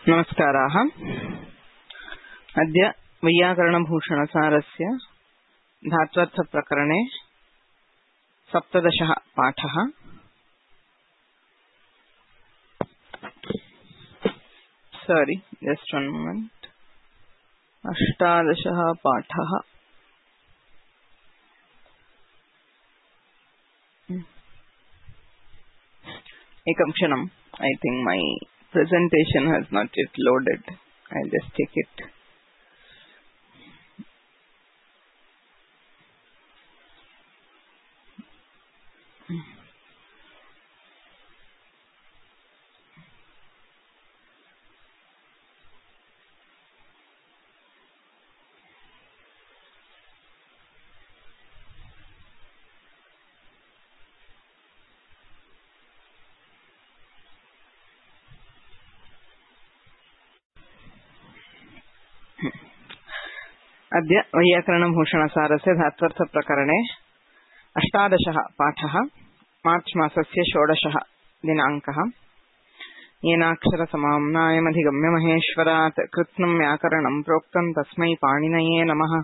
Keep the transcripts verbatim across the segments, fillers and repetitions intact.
नमस्काराः। अद्य वैयाकरणभूषणसारस्य धात्वर्थप्रकरणे सप्तदशः पाठः। सारी जस्ट वन मोमेंट। अष्टादशः पाठः। एकं क्षणम्। I think my presentation has not yet loaded. I'll just check it. अद्य वैयाकरणभूषणसारस्य धात्वर्थप्रकरणे अष्टादशः पाठः। मार्च मासस्य षोडशः दिनाङ्कः। येनाक्षरसमाम्नायमधिगम्य महेश्वरात् कृत्स्नं व्याकरणं प्रोक्तं तस्मै पाणिनये नमः।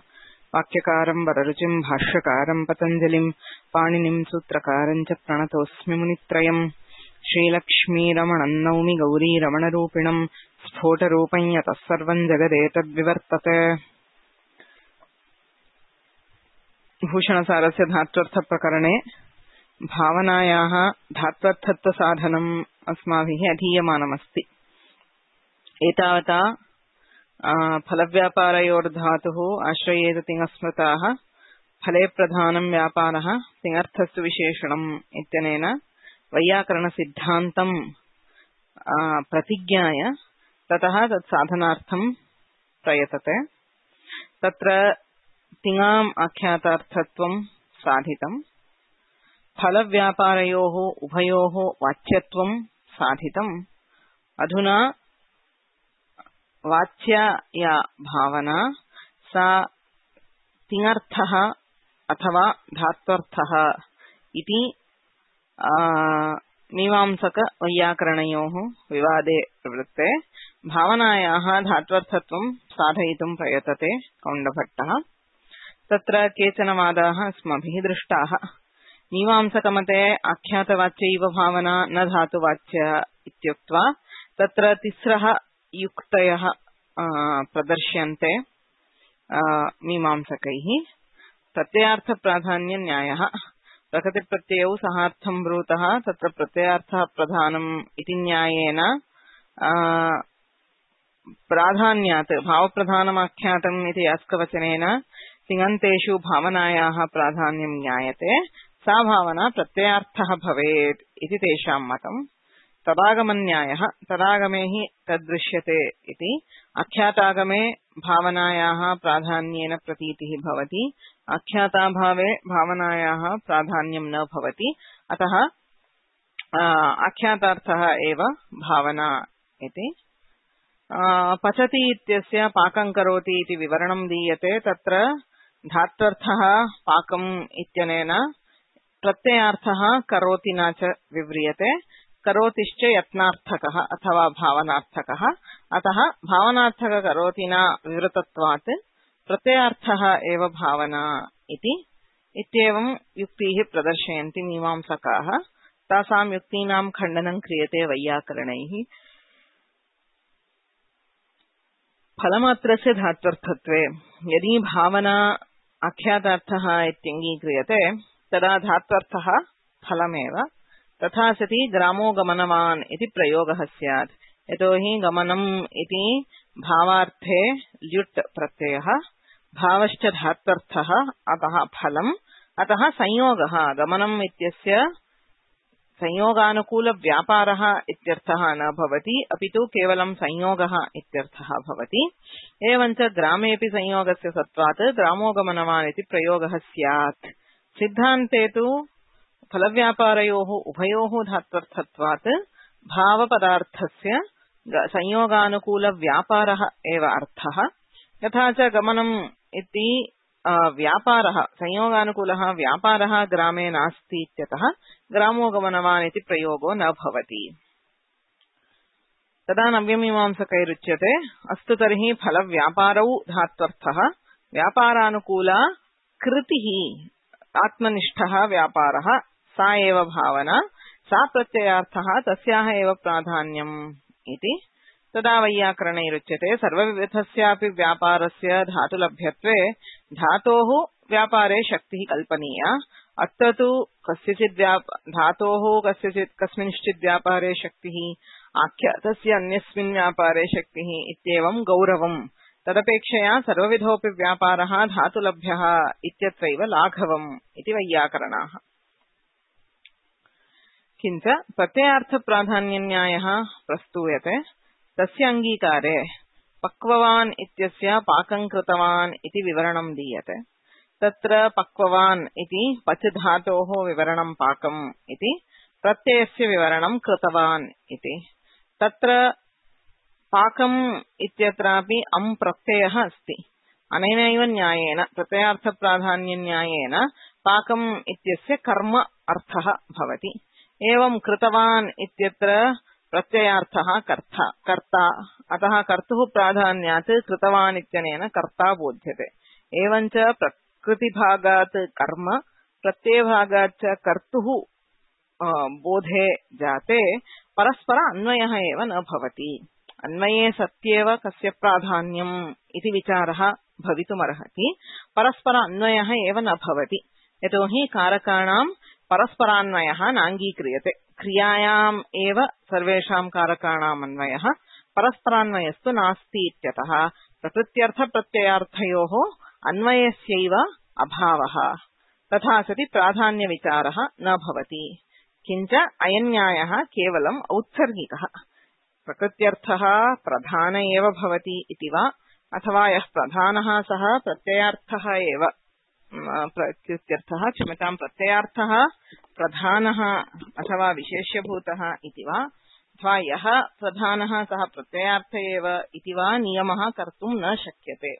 वाक्यकारं वररुचिं भाष्यकारं पतञ्जलिं पाणिनिं सूत्रकारं च प्रणतोऽस्मि मुनित्रयम्। श्रीलक्ष्मीरमणं नौमि गौरीरमणरूपिणं स्फोटरूपं यतः सर्वं जगदेतद्विवर्तते। भूषणसारस्य धात्वर्थप्रकरणे भावनायाः धात्वर्थत्वसाधनम् अस्माभिः अधीयमानमस्ति। एतावता फलव्यापारयोर्धातुः आश्रयेत तिङस्मृताः फले प्रधानं व्यापारः तिङर्थस्तु विशेषणम् इत्यनेन वैयाकरणसिद्धान्तं प्रतिज्ञाय ततः तत्साधनार्थं प्रयतते। तत्र तिङाम् आख्यातार्थत्वं साधितम्, फलव्यापारयोः उभयोः वाच्यत्वं साधितम्। अधुना वाच्या या भावना सा तिङर्थः अथवा धात्वर्थः इति मीमांसक वैयाकरणयोः विवादे प्रवृत्ते भावनायाः धात्वर्थत्वं साधयितुं प्रयतते कौण्डभट्टः। तत्र केचन वादाः अस्माभिः दृष्टाः। मीमांसकमते आख्यातवाच्यैव भावना न धातुवाच्य इत्युक्त्वा तत्र तिस्रः युक्तयः प्रदर्श्यन्ते मीमांसकैः। प्रत्ययार्थप्राधान्यन्यायः। प्रकृतिप्रत्ययौ सहार्थं ब्रूतः तत्र प्रत्ययार्थः प्रधानम् इति न्यायेन प्राधान्यात् भावप्रधानमाख्यातम् इति यास्कवचनेन तिङन्तेषु भावनायाः प्राधान्यं ज्ञायते। सा भावना प्रत्ययार्थः भवेत् इति तेषां मतम्। तदागमन्यायः। तदागमे हि तदृश्यते इति। आख्यातागमे भावनायाः प्राधान्येन प्रतीतिः भवति, आख्याताभावे भावनायाः प्राधान्यं न भवति। अतः आख्यातार्थः एव भावना इति। पचति इत्यस्य पाकं करोति इति विवरणं दीयते। तत्र धात्वर्थः पाकम् इत्यनेन प्रत्ययार्थः करोति न च विव्रियते। करोतिश्च यत्नार्थकः अथवा भावनार्थकः। अतः भावनार्थक करोति न विवृतत्वात् प्रत्ययार्थः एव भावना इति इत्येवं युक्तिः प्रदर्शयन्ति मीमांसकाः। तासां युक्तीनां खण्डनं क्रियते वैयाकरणैः। फलमात्रस्य धात्वर्थत्वे यदि भावना आख्यातार्थः इत्यङ्गीक्रियते तदा धात्वर्थः फलमेव। तथा सति ग्रामो गमनवान् इति प्रयोगः स्यात्। यतोहि गमनम् इति भावार्थे ल्युट् प्रत्ययः, भावश्च धात्वर्थः, अतः फलम्। अतः संयोगः गमनम् इत्यस्य संयोगानुकूल व्यापारः इत्यर्थः न भवति, अपितु केवलं संयोगः इत्यर्थः भवति। एवञ्च ग्रामेऽपि संयोगस्य सत्त्वात् ग्रामो गमनवान् इति प्रयोगः स्यात्। सिद्धान्ते तु फलव्यापारयोः उभयोः धात्वर्थत्वात् भावपदार्थस्य संयोगानुकूल व्यापारः एव अर्थः। तथा च गमनम् इति व्यापारः संयोगानुकूलः व्यापारः ग्रामे नास्ति इत्यतः ग्रामो गमनवान् इति प्रयोगो न भवति। तदा नव्यमीमांसकैरुच्यते अस्तु तर्हि फलव्यापारौ धात्वर्थः व्यापारानुकूला कृतिः आत्मनिष्ठः व्यापारः सा एव भावना सा प्रत्ययार्थः तस्याः एव प्राधान्यम् इति। तदा वैयाकरणैरुच्यते सर्वविधस्यापि व्यापारस्य धातुलभ्यत्वे धातोः व्यापारे शक्तिः कल्पनीया। अत्र तु कस्यचित् धातोः कस्यचित् कस्मिंश्चित् व्यापारे शक्तिः आख्यातस्य अन्यस्मिन् व्यापारे शक्तिः इत्येवं गौरवम्। तदपेक्षया सर्वविधोऽपि व्यापारः धातुलभ्यः इत्यत्रैव लाघवम् इति वैयाकरणाः। किञ्च प्रत्ययार्थप्राधान्यन्यायः प्रस्तूयते। तस्य अङ्गीकारे पक्ववान् इत्यस्य पाकं कृतवान् इति विवरणं दीयते। तत्र पक्ववान् इति पच् धातोः विवरणं पाकम् इति, प्रत्ययस्य विवरणं कृतवान् इति। तत्र पाकम् इत्यत्रापि अम् प्रत्ययः अस्ति। अनेनैव न्यायेन प्रत्ययार्थप्राधान्यन्यायेन पाकम् इत्यस्य कर्म अर्थः भवति। एवं कृतवान् इत्यत्र प्रत्ययार्थः कर्ता कर्ता अतः कर्तुः प्राधान्यात् कृतवान् इत्यनेन कर्ता बोध्यते। एवञ्च प्रकृतिभागात् कर्म प्रत्ययभागात् च कर्तुः बोधे जाते परस्पर अन्वयः एव न भवति। अन्वये सत्येव कस्य प्राधान्यम् इति विचारः भवितुमर्हति, परस्पर अन्वयः एव न भवति। यतोहि कारकाणां परस्परान्वयः नाङ्गीक्रियते। क्रियायाम् एव सर्वेषां कारकाणाम् अन्वयः, परस्परान्वयस्तु नास्ति इत्यतः प्रकृत्यर्थप्रत्ययार्थयोः अन्वयस्यैव अभावः। तथा सति प्राधान्यविचारः न भवति। किञ्च अयं न्यायः केवलम् औत्सर्गिकः। प्रकृत्यर्थः प्रधान एव भवति इति वा, अथवा यः प्रधानः सः प्रत्ययार्थः एव प्रकृत्यर्थः क्षम्यतां प्रत्ययार्थः प्रधानः अथवा विशेष्यभूतः इति वा, अथवा यः प्रधानः सः प्रत्ययार्थ एव इति वा नियमः कर्तुं न शक्यते।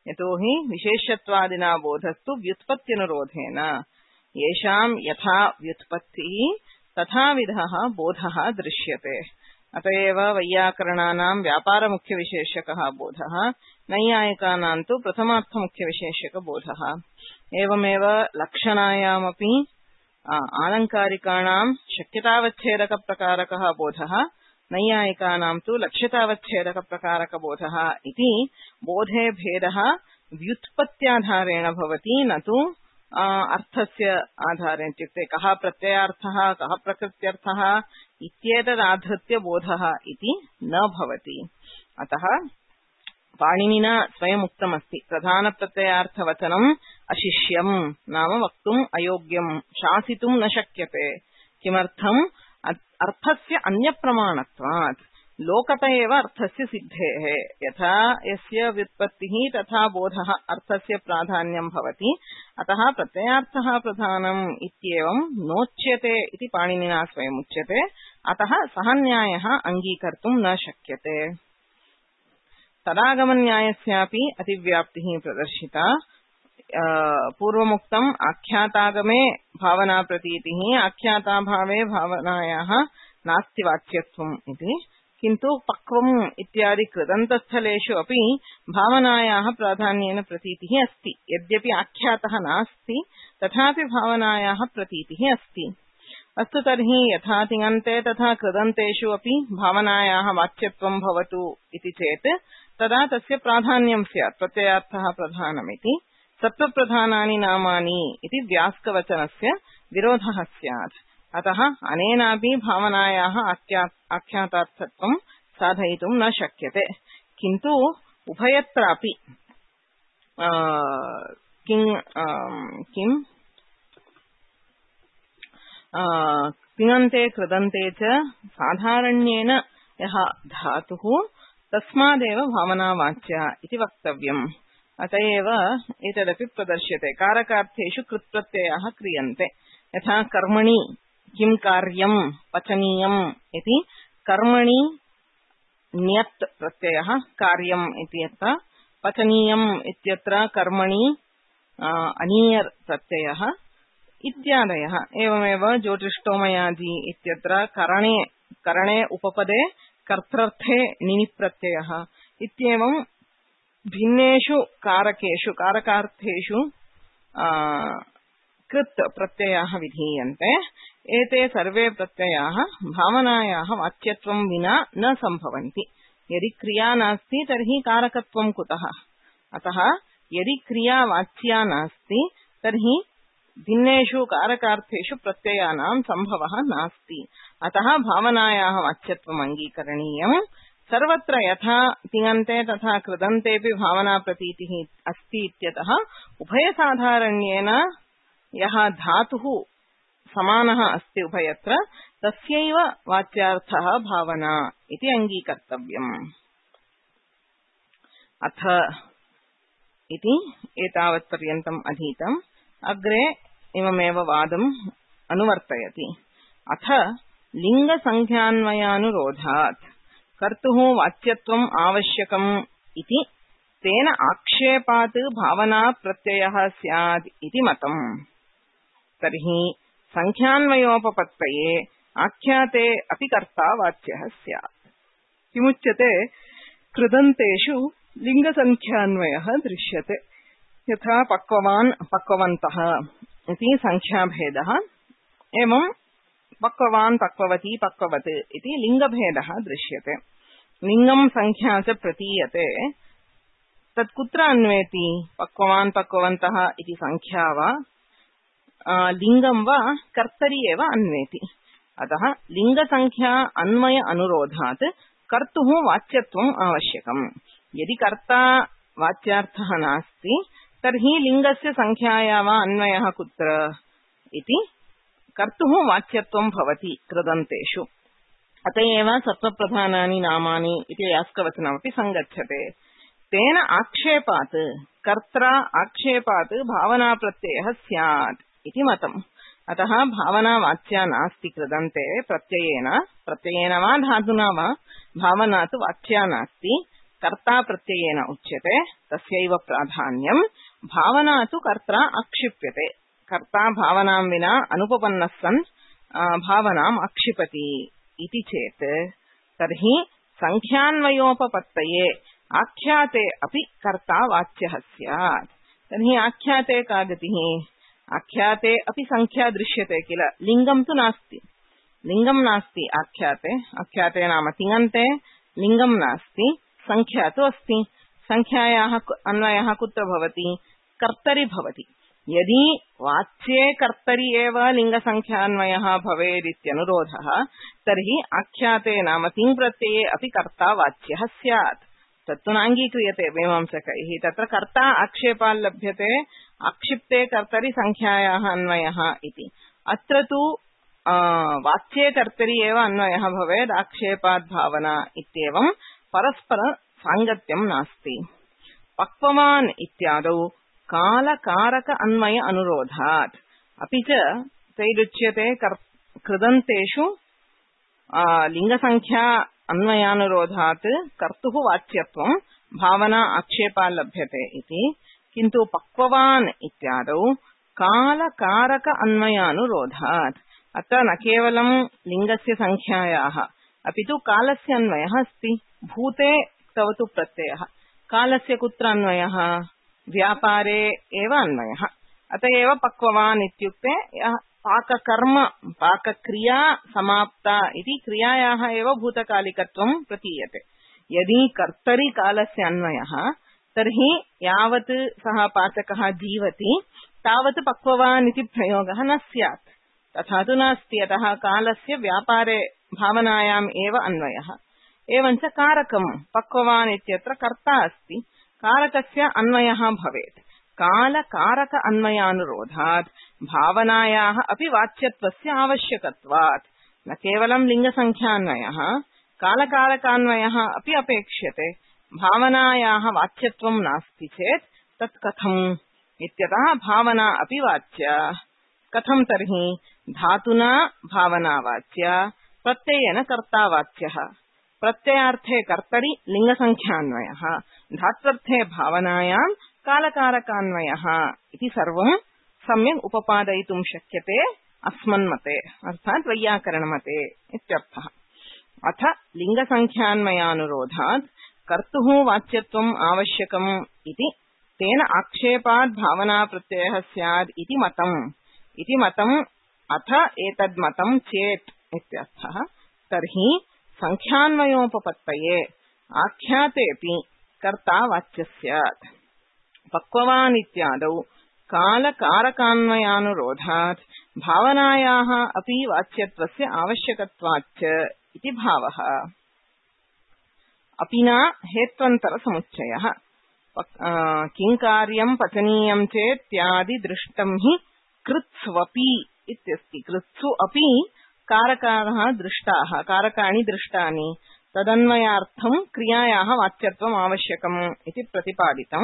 यतोहि विशेष्यत्वादिना बोधस्तु व्युत्पत्त्यनुरोधेन। येषां यथा व्युत्पत्तिः तथाविधः बोधः दृश्यते। अतएव वैयाकरणानां व्यापारमुख्यविशेषकः बोधः, नैयायिकानां तु प्रथमार्थमुख्यविशेषकबोधः। एवमेव लक्षणायामपि आलङ्कारिकाणां शक्यतावच्छेदकप्रकारकः बोधः, नैयायिकानां तु लक्ष्यतावच्छेदकप्रकारकबोधः इति बोधे भेदः व्युत्पत्त्याधारेण भवति, न तु अर्थस्य आधारेण। इत्युक्ते कः प्रत्ययार्थः कः प्रकृत्यर्थः इत्येतदाधृत्य बोधः इति न भवति। अतः पाणिनिना स्वयम् उक्तमस्ति, प्रधानप्रत्ययार्थवचनम् अशिष्यम् नाम वक्तुम् अयोग्यम्, शासितुं न शक्यते। किमर्थम्? अर्थस्य अन्यप्रमाणत्वात्। लोकत एव अर्थस्य सिद्धेः। यथा यस्य व्युत्पत्तिः तथा बोधः अर्थस्य प्राधान्यं भवति। अतः प्रत्ययार्थः प्रधानम् इत्येवं नोच्यते इति पाणिनिना स्वयम् उच्यते। अतः सः न्यायः अङ्गीकर्तुं न शक्यते। तदागमन्यायस्यापि अतिव्याप्तिः प्रदर्शिता। पूर्वमुक्तम् आख्यातागमे भावनाप्रतीतिः, आख्याताभावे भावनायाः नास्ति वाच्यत्वम् इति। किन्तु पक्वम् इत्यादि कृदन्तस्थलेषु अपि भावनायाः प्राधान्येन प्रतीतिः अस्ति। यद्यपि आख्यातः नास्ति तथापि भावनायाः प्रतीतिः अस्ति। अस्तु तर्हि यथा तिङन्ते तथा कृदन्तेषु अपि भावनायाः वाच्यत्वं भवतु इति चेत् तदा तस्य प्राधान्यं स्यात्। प्रत्ययार्थः प्रधानमिति सत्त्वप्रधानानि नामानि इति व्यास्कवचनस्य विरोधः स्यात्। अतः अनेनापि भावनायाः आख्यातार्थत्वं साधयितुं न शक्यते। किन्तु उभयत्रापि किं किं तिङन्ते कृदन्ते च साधारण्येन यः धातुः तस्मादेव भावनावाच्या इति वक्तव्यम्। अतएव एतदपि प्रदर्श्यते। कारकार्थेषु कृत्प्रत्ययाः क्रियन्ते। यथा कर्मणि किं कार्यं पचनीयम् इति, कर्मणि ण्यत् प्रत्ययः कार्यम् इत्यत्र, पचनीयम् इत्यत्र कर्मणि अनीयर् प्रत्ययः इत्यादयः। एवमेव ज्योतिष्टोमयादि इत्यत्र करणे करणे उपपदे कर्तृर्थे णिनि प्रत्ययः इत्येवं भिन्नेषु कारकेषु कारकार्थेषु कृत् प्रत्ययाः विधीयन्ते। एते सर्वे प्रत्ययाः भावनायाः वाच्यत्वं विना न सम्भवन्ति। यदि क्रिया नास्ति तर्हि कारकत्वं कुतः? अतः यदि क्रिया वाच्या नास्ति तर्हि भिन्नेषु कारकार्थेषु प्रत्ययानां सम्भवः नास्ति। अतः भावनायाः वाच्यत्वम् अङ्गीकरणीयम्। सर्वत्र यथा तिङन्ते तथा कृदन्तेऽपि भावना प्रतीतिः अस्ति इत्यतः उभयसाधारण्येन यः धातुः समानः अस्ति उभयत्र तस्यैव वाच्यार्थः भावना इति अङ्गीकर्तव्यम्। अथ इति एतावत्पर्यन्तम् अधीतम्। अग्रे इममेव वादम् अनुवर्तयति। अथ लिङ्गसंख्यान्वयानुरोधात् कर्तुः वाच्यत्वम् आवश्यकम् इति तेन आक्षेपात् भावना प्रत्ययः स्यात् इति मतम्। तर्हि संख्यान्वयोपपत्तये आख्याते अपि कर्ता वाच्यः स्यात्। किमुच्यते? कृदन्तेषु लिङ्गसंख्यान्वयः दृश्यते। यथा पक्ववान् पक्ववन्तः इति संख्याभेदः, एवं पक्ववान् पक्ववती पक्ववत् इति लिङ्गभेदः दृश्यते। लिङ्गं संख्या च प्रतीयते। तत् कुत्र अन्वेति? पक्ववान् पक्ववन्तः इति संख्या वा लिङ्गं वा कर्तरि एव अन्वेति। अतः लिङ्गसंख्या अन्वय अनुरोधात् कर्तुः वाच्यत्वम् आवश्यकम्। यदि कर्ता वाच्यार्थः नास्ति तर्हि लिङ्गस्य संख्याया वा अन्वयः कुत्र इति कर्तुः वाच्यत्वं भवति कृदन्तेषु। अत एव सत्त्वप्रधानानि नामानि इति यास्कवचनमपि सङ्गच्छते। तेन आक्षेपात् कर्त्रा आक्षेपात् भावना प्रत्ययः स्यात् इति मतम्। अतः भावना वाच्या नास्ति कृदन्ते प्रत्ययेन प्रत्ययेन वा धातुना वा भावना तु वाच्या नास्ति, कर्ता प्रत्ययेन उच्यते, तस्यैव प्राधान्यम्। भावना तु कर्त्रा आक्षिप्यते। कर्ता भावनां विना अनुपपन्नः सन् भावनाम् आक्षिपति इति चेत् तर्हि संख्यान्वयोपपत्तये आख्याते अपि कर्ता वाच्यः स्यात्। तर्हि आख्याते का गतिः? आख्याते अपि संख्या दृश्यते किल, लिङ्गं तु नास्ति। लिङ्गं नास्ति आख्याते। आख्याते नाम तिङन्ते, लिङ्गं नास्ति, संख्या तु अस्ति। संख्यायाः अन्वयः कुत्र भवति? कर्तरि भवति। यदि वाच्ये कर्तरि एव लिङ्गसंख्यान्वयः भवेदित्यनुरोधः तर्हि आख्याते नाम तिङ् प्रत्यये अपि कर्ता वाच्यः स्यात्। तत्तु नाङ्गीक्रियते मीमांसकैः। तत्र कर्ता आक्षेपाल् लभ्यते, आक्षिप्ते कर्तरि संख्यायाः अन्वयः इति। अत्र तु वाच्ये कर्तरि एव अन्वयः भवेत्, आक्षेपात् भावना इत्येवं परस्पर साङ्गत्यं नास्ति। पक्ववान् इत्यादौ कालकारक अन्वय अनुरोधात् अपि च तैरुच्यते कृदन्तेषु लिङ्गसंख्या अन्वयानुरोधात् कर्तुः वाच्यत्वं भावना आक्षेपाल् लभ्यते इति। किन्तु पक्ववान् इत्यादौ कालकारक अन्वयानुरोधात् अत्र न केवलं लिङ्गस्य संख्यायाः अपि तु कालस्य अन्वयः अस्ति। भूते तव तु प्रत्ययः, कालस्य कुत्र अन्वयः? व्यापारे एव अन्वयः। अत एव पक्ववान् इत्युक्ते पाककर्म पाकक्रिया समाप्ता इति क्रियायाः एव भूतकालिकत्वं प्रतीयते। यदि कर्तरि कालस्य अन्वयः तर्हि यावत् सः पाचकः जीवति तावत् पक्ववान् इति प्रयोगः न स्यात्। तथा तु नास्ति। अतः कालस्य व्यापारे भावनायाम् एव अन्वयः। एवञ्च कारकम् पक्ववान् इत्यत्र कर्ता अस्ति, कारकस्य अन्वयः भवेत्। कालकारक अन्वयानुरोधात् भावनायाः अपि वाच्यत्वस्य आवश्यकत्वात् न केवलं लिङ्गसंख्यान्वयः, कालकारकान्वयः अपि अपेक्ष्यते। भावनायाः वाच्यत्वं नास्ति चेत् तत् कथम् इत्यतः भावना अपि वाच्या। कथं तर्हि? धातुना भावना वाच्या, प्रत्ययेन कर्ता वाच्यः। प्रत्ययार्थे कर्तरि लिङ्गसंख्यान्वयः, धात्वर्थे भावनायां कालकारकान्वयः इति सर्वं सम्यक् उपपादयितुं शक्यते अस्मन्मते, अर्थात् वैयाकरणमते इत्यर्थः। अथ लिंगसंख्यान्वयानुरोधात् कर्तुः वाच्यत्वम् आवश्यकम् इति तेन आक्षेपात् भावना प्रत्ययः स्यात् इति मतम् इति मतम् अथ एतद् मतं चेत् इत्यर्थः। तर्हि संख्यान्वयोपपत्तये आख्यातेऽपि कर्ता वाच्यः स्यात्। पक्ववान् इत्यादौ कालकारकान्वयानुरोधात् भावनायाः अपि वाच्यत्वस्य आवश्यकत्वाच्च इति भावः। अपिना हेत्वन्तरसमुच्चयः किङ्कार्यं पचनीयं चेत्यादि दृष्टं हि कृत्स्वपि इत्यस्ति। कृत्सु अपि कारकाः दृष्टाः कारकाणि दृष्टानि तदन्वयार्थं क्रियायाः वाच्यत्वम् आवश्यकम् इति प्रतिपादितं।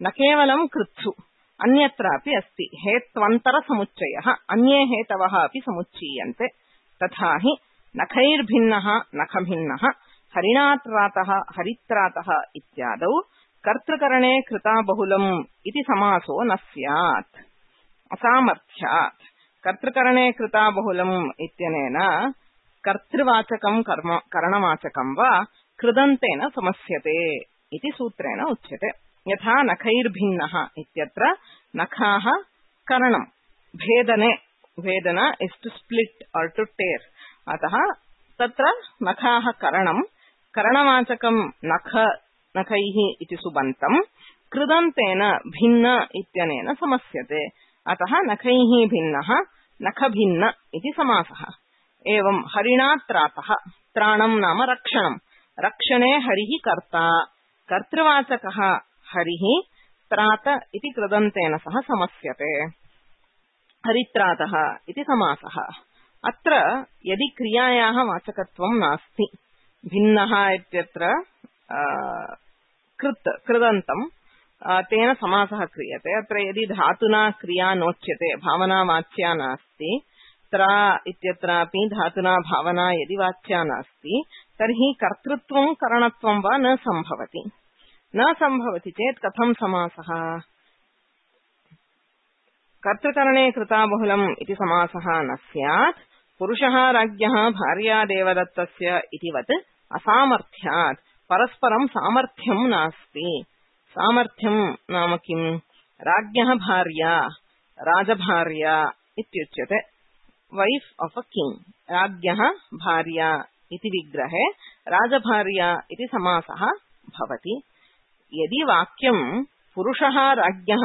न केवलं कृत्सु अन्यत्रापि अस्ति हेत्वन्तरसमुच्चयः अन्ये हेतवः अपि समुच्चीयन्ते। तथा हि नखैर्भिन्नः नखभिन्नः हरिणात्रातः हरित्रातः इत्यादौ कर्तृकरणे कृता बहुलम् इति समासो न स्यात् असामर्थ्यात्। कर्तृकरणे कृता बहुलम् इत्यनेन कर्तृवाचकं कर्म करणवाचकं वा कृदन्तेन समस्यते इति सूत्रेण उच्यते। यथा नखैर्भिन्नः इत्यत्र नखाः करणं भेदने भेदन इस् टु स्प्लिट् और टु टेर् अतः तत्र नखाः करणं करणवाचकं नख नखैः इति सुबन्तं कृदन्तेन भिन्न इत्यनेन समस्यते अतः नखैः भिन्नः नखभिन्न इति समासः। एवं हरिणात्रातः त्राणं नाम रक्षणं रक्षणे हरिः कर्ता कर्तृवाचकः हरिः त्रात इति कृदन्तेन सह समस्यते हरित्रातः इति समासः। अत्र यदि क्रियायाः वाचकत्वं नास्ति भिन्नः इत्यत्र कृत् कृदन्तं तेन समासः क्रियते। अत्र यदि धातुना क्रिया नोच्यते भावना वाच्या नास्ति त्रा इत्यत्रापि धातुना भावना यदि वाच्या नास्ति तर्हि कर्तृत्वं करणत्वं वा न सम्भवति। न सम्भवति चेत् कथं समासः? कर्तृकरणे कृता बहुलम् इति समासः न स्यात्। पुरुषः राज्ञः भार्या देवदत्तस्य इतिवत् असामर्थ्यात् परस्परं सामर्थ्यं नास्ति। सामर्थ्यं नाम किम्? राज्ञः भार्या राजभार्या इत्युच्यते वैफ् आफ् अ किङ्ग्। राज्ञः भार्या इति विग्रहे राजभार्या इति समासः भवति। यदि वाक्यं पुरुषः राज्ञः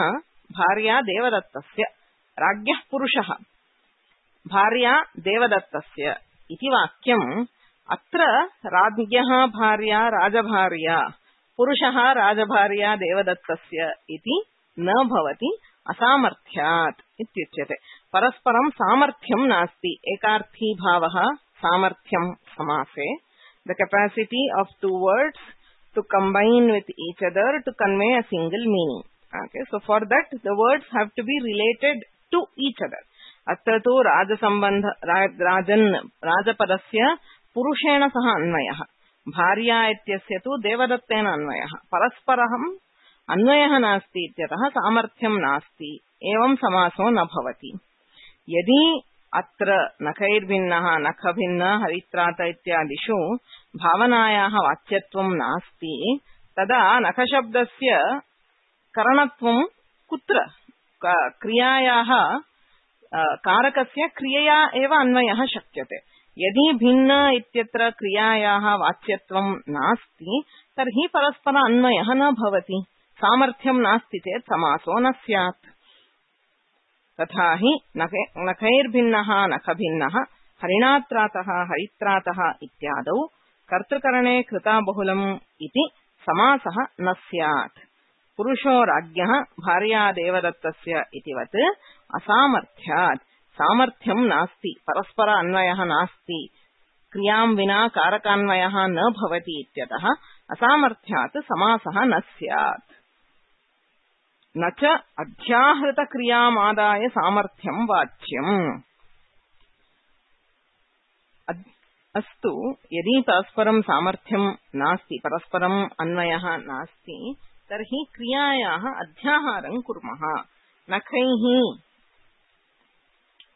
भार्या देवदत्तस्य राज्ञः पुरुषः भार्या देवदत्तस्य इति वाक्यम् अत्र राज्ञः भार्या राजभार्या पुरुषः राजभार्या देवदत्तस्य इति न भवति असामर्थ्यात् इत्युच्यते। परस्परं सामर्थ्यं नास्ति। एकार्थी भावः सामर्थ्यं समासे the capacity of two words to combine with each other to convey a single meaning. Okay, so for that the words have to be related to each other. अत्र तु राजसम्बन्ध राजन् राजपदस्य पुरुषेण सह अन्वयः भार्या इत्यस्य तु देवदत्तेन अन्वयः परस्परम् अन्वयः नास्ति इत्यतः सामर्थ्यं नास्ति एवं समासो न भवति। यदि अत्र नखैर्भिन्नः नखभिन्न हरित्रात इत्यादिषु भावनायाः वाच्यत्वं नास्ति तदा नखशब्दस्य करणत्वं कुत्र? क्रियायाः कारकस्य क्रियया एव अन्वयः शक्यते। यदि भिन्न इत्यत्र क्रियायाः वाच्यत्वं नास्ति तर्हि परस्पर अन्वयः न भवति। सामर्थ्यं नास्ति चेत् समासो न स्यात्। तथा हि नखैर्भिन्नः नखभिन्नः हरिणात्रातः हरित्रातः इत्यादौ कर्तृकरणे कृता बहुलम् इति समासः न स्यात्। पुरुषो राज्ञः भार्या देवदत्तस्य इतिवत् असामर्थ्यात् सामर्थ्यं नास्ति परस्पर अन्वयः नास्ति क्रियां विना कारकान्वयः न भवति इत्यतः असामर्थ्यात् समासः न स्यात्। न च अध्याहृतक्रियामादाय सामर्थ्यं वाच्यम्। अस्तु यदि परस्परं सामर्थ्यं नास्ति परस्परम् अन्वयः नास्ति तर्हि क्रियायाः अध्याहारं कुर्मः। नखैः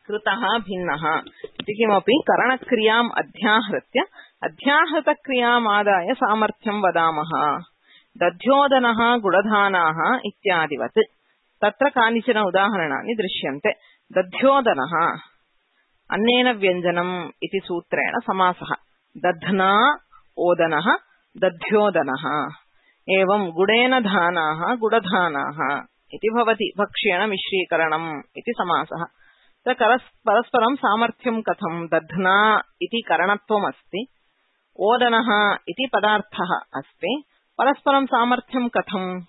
कृतः भिन्नः इति किमपि करणक्रियाम् अध्याहृत्य अध्याहृतक्रियामादाय सामर्थ्यं वदामः। दध्योदनः गुडधानाः इत्यादिवत्। तत्र कानिचन उदाहरणानि दृश्यन्ते। दध्योदनः अन्नेन व्यञ्जनम् इति सूत्रेण समासः। दध्ना ओदनः दध्योदनः। एवं गुडेन धानाः गुडधानाः इति भवति। भक्ष्येण मिश्रीकरणम् इति समासः। परस्परं सामर्थ्यं कथं? दध्ना इति करणत्वमस्ति, ओदनः इति पदार्थः अस्ति, परस्परं सामर्थ्यं कथं?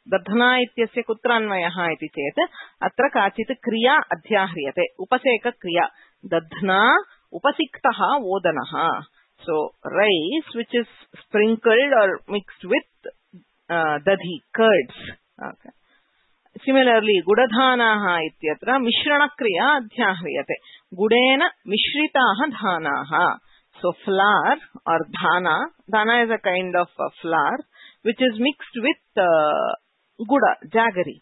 दध्ना इत्यस्य कुत्र अन्वयः इति चेत् अत्र काचित् क्रिया अध्याह्रियते, उपसेकक्रिया। दध्ना उपसिक्तः ओदनः। So rice which is sprinkled or mixed with uh, दधि कर्ड्स्। okay. Similarly, गुडधानाः इत्यत्र मिश्रणक्रिया अध्याह्रियते, गुडेन मिश्रिताः धानाः। So flour or dhana, dhana is a kind of uh, flour which is mixed with uh, guda, jaggery.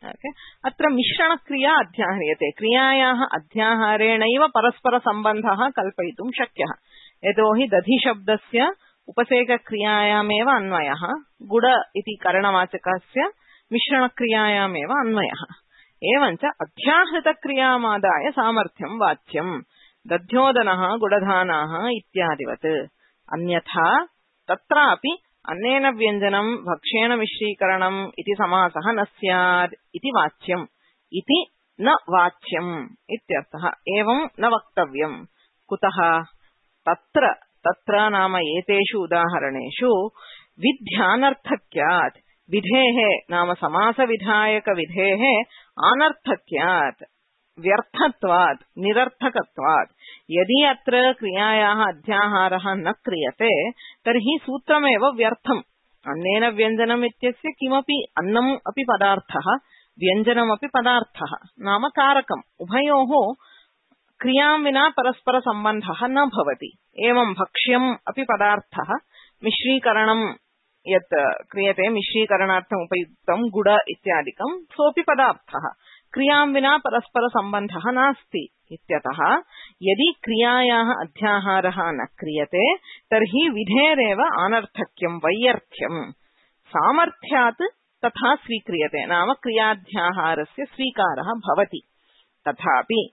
Okay. अत्र मिश्रणक्रिया अध्याह्रियते। क्रियायाः अध्याहारेणैव परस्परसम्बन्धः कल्पयितुं शक्यः। यतोहि दधिशब्दस्य उपसेकक्रियायामेव अन्वयः, गुड इति करणवाचकस्य मिश्रणक्रियायामेव अन्वयः। एवञ्च अध्याहृतक्रियामादाय सामर्थ्यं वाच्यम्। दध्योदनः गुडधानाः इत्यादिवत्। अन्यथा तत्रापि अन्नेन व्यञ्जनं भक्ष्येण मिश्रीकरणम् इति समासः न स्यात् इति वाच्यम्। इति न वाच्यम् इत्यर्थः। एवं न वक्तव्यम्। कुतः? तत्र तत्र नाम एतेषु उदाहरणेषु विध्यानर्थक्यात्, विधेः नाम समासविधायकविधेः अनर्थक्यात्, व्यर्थत्वात्, निरर्थकत्वात्। यदि अत्र क्रियायाः अध्याहारः न क्रियते तर्हि सूत्रमेव व्यर्थम्। अन्नेन व्यञ्जनम् इत्यस्य किमपि अन्नम् अपि पदार्थः, व्यञ्जनमपि पदार्थः नाम कारकम्। उभयोः क्रियां विना परस्परसम्बन्धः न भवति। एवं भक्ष्यम् अपि पदार्थः, मिश्रीकरणं यत् क्रियते, मिश्रीकरणार्थम् उपयुक्तं गुड इत्यादिकं, सोऽपि पदार्थः। क्रियां विना परस्परसम्बन्धः नास्ति इत्यतः यदि क्रियायाः अध्याहारः न क्रियते तर्हि विधेरेव अनर्थक्यं, वैयर्थ्यम्। सामर्थ्यात् तथा स्वीक्रियते, नाम क्रियाध्याहारस्य स्वीकारः भवति। तथापि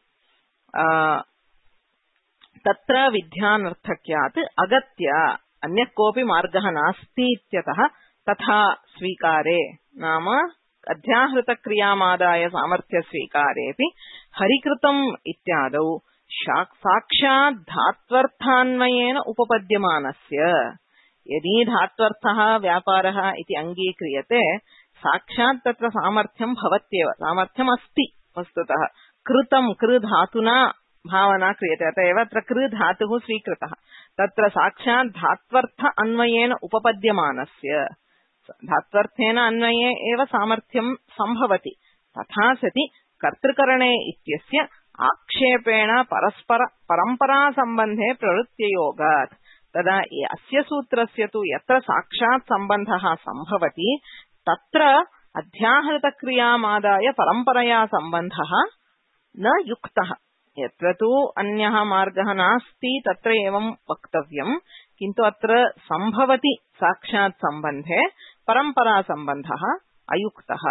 तत्र विध्यानर्थक्यात् अगत्य अन्यः कोऽपि मार्गः नास्ति इत्यतः तथा स्वीकारे, नाम अध्याहृतक्रियामादाय सामर्थ्यस्वीकारेऽपि हरिकृतम् इत्यादौ साक्षात् धात्वर्थान्वयेन उपपद्यमानस्य। यदि धात्वर्थः व्यापारः इति अङ्गीक्रियते साक्षात् तत्र सामर्थ्यं भवत्येव, सामर्थ्यमस्ति वस्तुतः। कृतं कृ धातुना भावना क्रियते, अत एव अत्र कृ धातुः स्वीकृतः। तत्र साक्षात् धात्वर्थ अन्वयेन उपपद्यमानस्य, धात्वर्थेन अन्वये एव सामर्थ्यं सम्भवति। तथा सति कर्तृकरणे इत्यस्य आक्षेपेण परस्पर परम्परासम्बन्धे प्रवृत्त्ययोगात्। तदा अस्य सूत्रस्य तु यत्र साक्षात् सम्बन्धः सम्भवति तत्र अध्याहृतक्रियामादाय परम्परया सम्बन्धः न युक्तः। यत्र तु अन्यः मार्गः नास्ति तत्र एवं वक्तव्यम्, किन्तु अत्र सम्भवति साक्षात् सम्बन्धे, परम्परा सम्बन्धः अयुक्तः।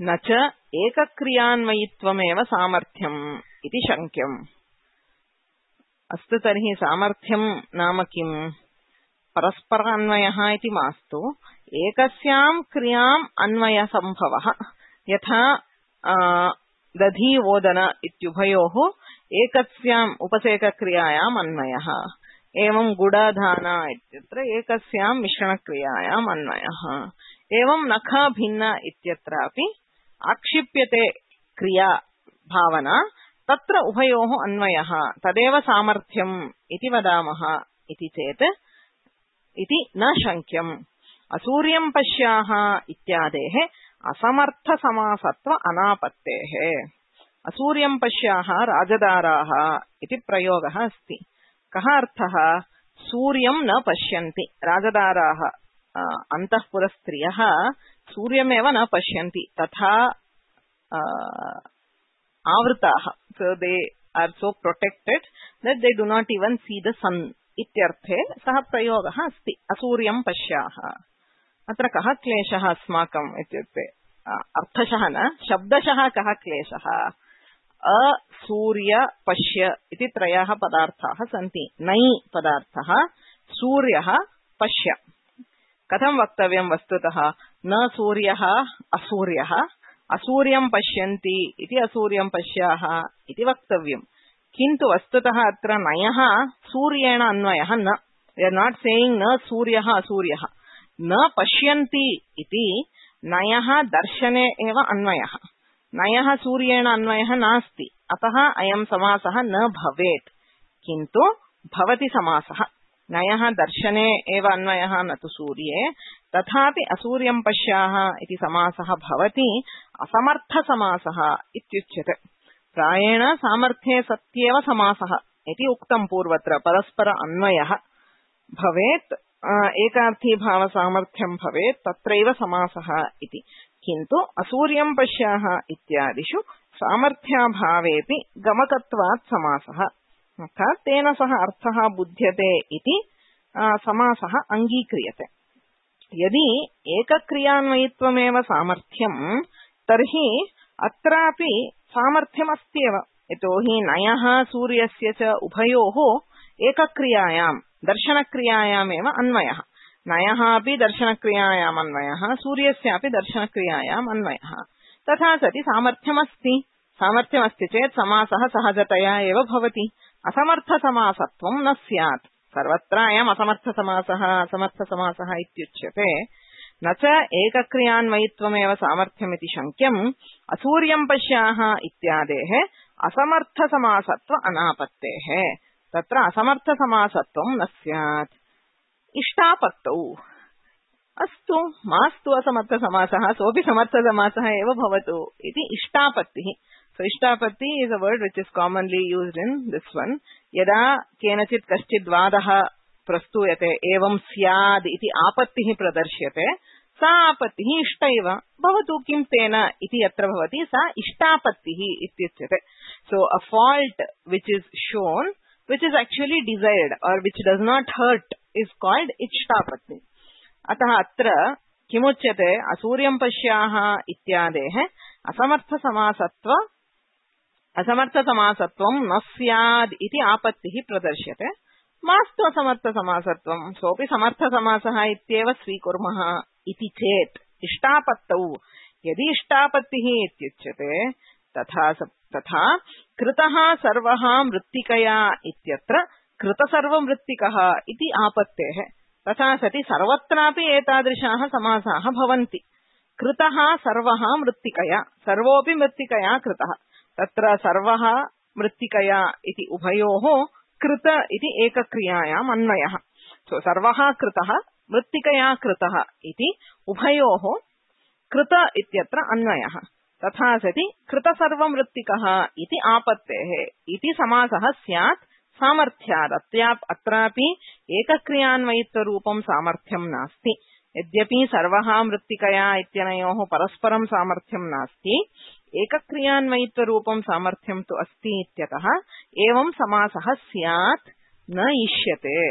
न च एकक्रियान्वयित्वमेव सामर्थ्यम् इति शङ्क्यम्। अस्तु, तर्हि सामर्थ्यं नाम किम्? परस्परान्वयः इति मास्तु, एकस्यां क्रियाम् अन्वयसम्भवः। यथा दधि ओदन इत्युभयोः एकस्याम् उपसेकक्रियायाम् अन्वयः। एवं गुडधाना इत्यत्र एकस्यां मिश्रणक्रियायाम् अन्वयः। एवं नख भिन्न इत्यत्रापि आक्षिप्यते क्रिया भावना, तत्र उभयोः अन्वयः, तदेव सामर्थ्यम् इति वदामः इति चेत् इति न शङ्क्यम्। असूर्यं पश्याः इत्यादेः असमर्थसमासत्व अनापत्तेः। असूर्यं पश्याः राजदाराः इति प्रयोगः अस्ति। कः अर्थः? सूर्यं न पश्यन्ति राजदाराः अन्तःपुरस्त्रियः सूर्यमेव न पश्यन्ति तथा आवृताः. So they are so protected that they do not even see the sun. इत्यर्थे सः प्रयोगः अस्ति असूर्यं पश्याः. अत्र कः क्लेशः अस्माकम् इत्युक्ते अर्थशः न शब्दशः कः क्लेशः. असूर्य पश्य इति त्रयः पदार्थाः सन्ति. नै पदार्थः सूर्यः पश्य. कथं वक्तव्यं वस्तुतः न सूर्यः असूर्यः असूर्यं पश्यन्ति इति असूर्यं पश्याः इति वक्तव्यम्. किन्तु वस्तुतः अत्र नयः सूर्येण अन्वयः न. वी आर् नाट् सेयिङ्ग् न सूर्यः असूर्यः. न पश्यन्ति इति नयः दर्शने एव अन्वयः. नयः सूर्येण अन्वयः नास्ति. अतः अयं समासः न भवेत्. किन्तु भवति समासः. नयः दर्शने एव अन्वयः न तु सूर्ये. तथापि असूर्यं पश्याः इति समासः भवति असमर्थसमासः इत्युच्यते. प्रायेण सामर्थ्ये सत्येव समासः इति उक्तं पूर्वत्र. परस्पर अन्वयः भवेत् एकार्थी भाव सामर्थ्यं भवेत् तत्रैव समासः इति. किन्तु असूर्यं पश्याः इत्यादिषु सामर्थ्याभावेपि गमकत्वात् समासः अर्थात् तेन सह अर्थः बुध्यते इति समासः अङ्गीक्रियते. यदि एकक्रियान्वयित्वमेव सामर्थ्यं तर्हि अत्रापि सामर्थ्यमस्त्येव. यतोहि नयः सूर्यस्य च उभयोः एकक्रियायां दर्शनक्रियायामेव अन्वयः. नयः अपि दर्शनक्रियायाम् अन्वयः सूर्यस्यापि दर्शनक्रियायाम् अन्वयः. तथा सति सामर्थ्यमस्ति. सामर्थ्यमस्ति चेत् समासः सहजतया एव भवति. असमर्थसमासत्वं न स्यात्. सर्वत्र अयम् असमर्थसमासः असमर्थसमासः इत्युच्यते. न च एकक्रियान्वयित्वमेव सामर्थ्यमिति शङ्क्यम्. असूर्यं पश्याः इत्यादेः असमर्थसमासत्व अनापत्तेः. तत्र असमर्थसमासत्वं न स्यात्. इष्टापत्तौ अस्तु मास्तु असमर्थसमासः सोऽपि समर्थसमासः एव भवतु इति इष्टापत्तिः. So इष्टापत्ति is a word which is commonly used in this one. यदा केनचित् कश्चित् वादः प्रस्तूयते एवं स्याद् इति आपत्तिः प्रदर्श्यते सा आपत्तिः इष्ट इव भवतु किं तेन इति यत्र भवति सा इष्टापत्तिः इत्युच्यते. So a fault which is shown which is actually desired or which does not hurt is called इष्टापत्ति. अतः अत्र किमुच्यते असूर्यं पश्याः इत्यादेः असमर्थसमासत्व असमर्थसमासत्वं न स्याद् इति आपत्तिः प्रदर्श्यते. मास्तु असमर्थसमासत्वं सोऽपि समर्थसमासः इत्येव स्वीकुर्मः इति चेत् इष्टापत्तौ यदि इष्टापत्तिः इत्युच्यते तथा तथा कृतः सर्वः मृत्तिकया इत्यत्र कृतसर्वमृत्तिकः इति आपत्तेः. तथा सति सर्वत्रापि एतादृशाः समासाः भवन्ति. कृतः सर्वः मृत्तिकया सर्वोऽपि मृत्तिकया कृतः. तत्र सर्वः मृत्तिकया इति उभयोः कृत इति एकक्रियायाम् अन्वयः. सो सर्वः कृतः मृत्तिकया कृतः इति उभयोः कृत इत्यत्र अन्वयः. तथा सति कृतसर्वमृत्तिकः इति आपत्तेः इति समासः स्यात् सामर्थ्यात्. अत्रापि एकक्रियान्वयित्वरूपं सामर्थ्यं नास्ति. यद्यपि सर्वः मृत्तिकया इत्यनयोः परस्परं सामर्थ्यं नास्ति एकक्रियान्वयित्वरूपं सामर्थ्यं तु अस्ति इत्यतः एवं समासः स्यात् न इष्यते.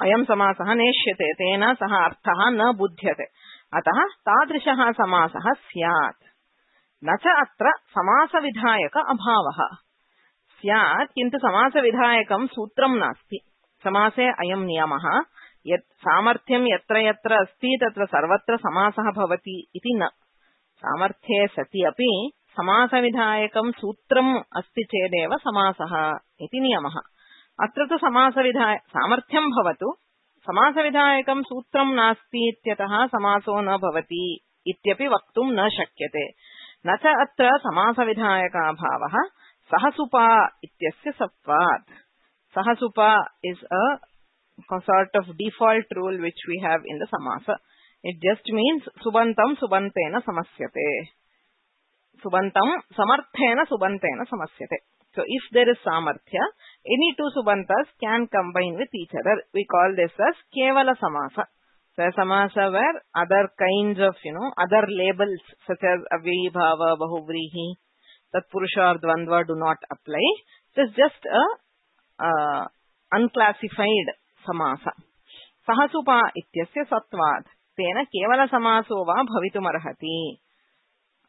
अयं समासः नेष्यते तेन सह अर्थः न बुध्यते. अतः तादृशः समासः स्यात्. न च अत्र समासविधायक अभावः स्यात्. किन्तु समासविधायकं सूत्रं नास्ति. समासे अयं नियमः यत् सामर्थ्यं यत्र यत्र अस्ति तत्र सर्वत्र समासः भवति इति न. सामर्थ्ये सति अपि समासविधायकं सूत्रम् अस्ति चेदेव समासः इति नियमः. अत्र तु समासविधाय सामर्थ्यं भवतु समासविधायकं सूत्रं नास्ति इत्यतः समासो न भवति इत्यपि वक्तुं न शक्यते. न च अत्र समासविधायकाभावः सहसुपा इत्यस्य सत्वात्. सहसुपा is a sort of default rule which we have in the samasa. It just means subantam subantena samasyate. Subantam samarthena subantena samasyate. So if there is samarthya, any two subantas can combine with each other. We call this as kevala samasa. So samasa where other kinds of, you know, other labels such as avyayi bhava, bahuvrihi, tatpurusha or dvandva do not apply. So it's just a uh, unclassified samasa. Sahasupa ityasya satvat tena kevala samaso va bhavitumarhati.